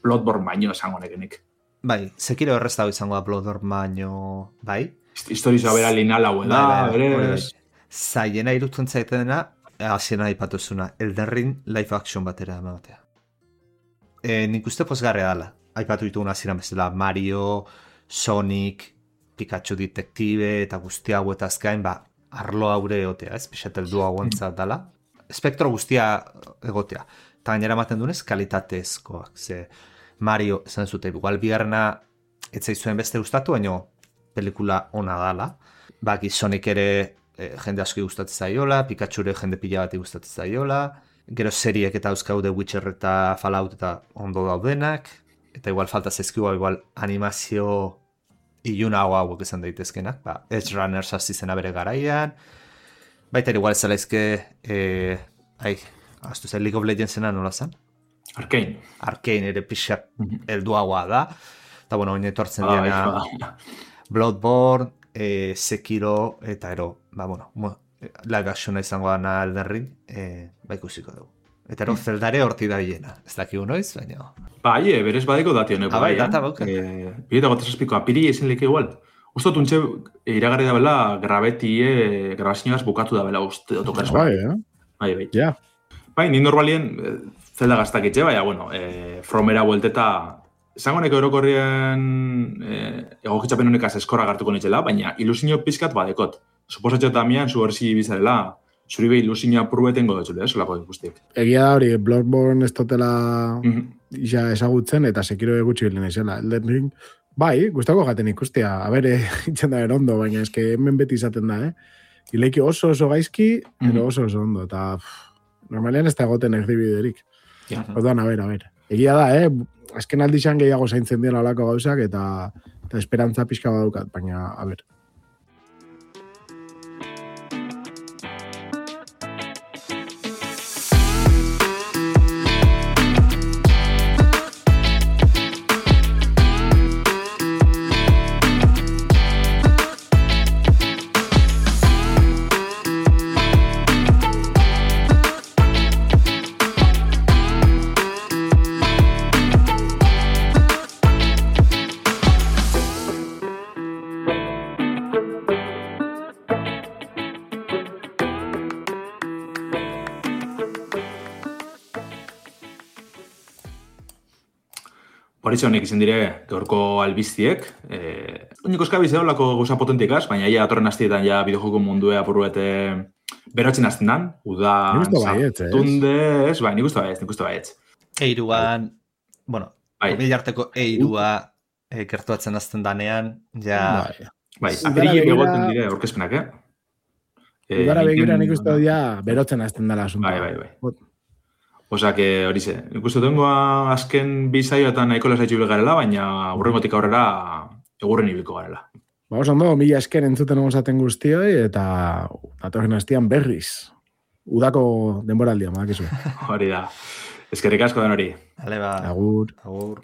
Bloodborne baino esango nekenik. Bai, Sekiro errezago izango da Bloodborne baino, bai? Historizoa bera linal hau da, berez. Zaiena irutzen zaitena, hasiena aipatuzuna, Elden Ring live action batera ematea. E, nik uste pozgarria dela. Aipatu ditugun hasieran bezala Mario, Sonic, Pikachu Detective eta guzti hau eta azkain, ba, arlo haure egotea, ez? Pixat eldu hauentzat dela. Espektro guztia egotea. Eta gainera ematen dunez, kalitatezkoak. Ze Mario, esan zute, igual bigarrena etzaizuen beste gustatu, baina pelikula ona dala. Baki Sonic ere e, jende aski gustatzen zaiola, Pikachu ere jende pila bat gustatzen zaiola, gero seriek eta euskau The Witcher eta Fallout eta ondo daudenak, eta igual falta zaizkiua igual animazio iluna hau hauek esan daitezkenak, ba, Edge Runners hasi zena bere garaian, baita igual ez zelaizke, e, ai, aztu zen League of Legendsena nola zen? Arcane. Arcane ere pixak helduagoa da, eta bueno, oin etortzen ah, diana Bloodborne, e, Sekiro, eta ero, ba, bueno, live actiona izango dana Elden Ring, e, ba ikusiko dugu. Eta ero, Zeldare horti da hiena. Ez dakigu noiz, baina... Bai, e, berez badeko dati honeko. Ah, bai, data bauken. E, Bireta gota zazpiko, apiri ezin leke igual. Usto tuntxe, iragarri da bela, grabetie, grabazioaz bukatu da bela, uste otokaz. Bai, eh? Bai, bai. Ja. Bai, ni normalien, Zelda gaztakitxe, baina, bueno, e, Fromera buelteta... Zango neko erokorrien e, egokitzapen honekaz eskorra gartuko nitzela, baina ilusinio pizkat badekot. Suposatxo tamian, zu horzi bizarela, zuri behi ilusinio apurbetengo dutxule, eh, solako guztiek. Egia da hori, Bloodborne ez totela Mm-hmm. ja ezagutzen, eta Sekiro egutsi bilen izela. Elden Ring, bai, gustako gaten ikustia. A ber, itxen da erondo, baina eske hemen beti izaten da, eh? Ileiki oso oso gaizki, mm-hmm. Ero oso oso ondo, eta pff, normalean ez da egoten erdibiderik. Ja. Orduan, a ber, a ber. Egia da, eh? Azken aldixan gehiago zaintzen dira olako gauzak, eta, eta esperantza pixka badukat, baina, a ber. Horitxe honek izan dire, gaurko albiztiek. Eh, Oiniko eskabiz eolako gauza potentikaz, baina ja atorren hastietan ja bideojoko mundue apurruete berotzen hasten dan. Udan, Nik uste baietz, ez? sartunde, ez? Bai, nik uste baietz, nik uste baietz. Eiruan, bueno, Bai. bilarteko eirua eh, gertuatzen azten danean, ja... Bai. Bai, Udara aperili begira- begoten dire aurkezpenak, eh? Eh, Udara begira egiten- nik uste dut ja berotzen hasten dela asuntoa. Bai, bai, bai. Osa, que hori ze, nik uste dengoa azken bi saioetan nahiko lasaitxu bil garela, baina urrengotik aurrera egurren ibiliko garela. Ba, oso ondo, mila esker entzuten osaten guztioi, eta datorren hastian berriz. Udako denboraldia, badakizu. Hori da. Eskerrik asko den hori. Ale ba, Agur. agur.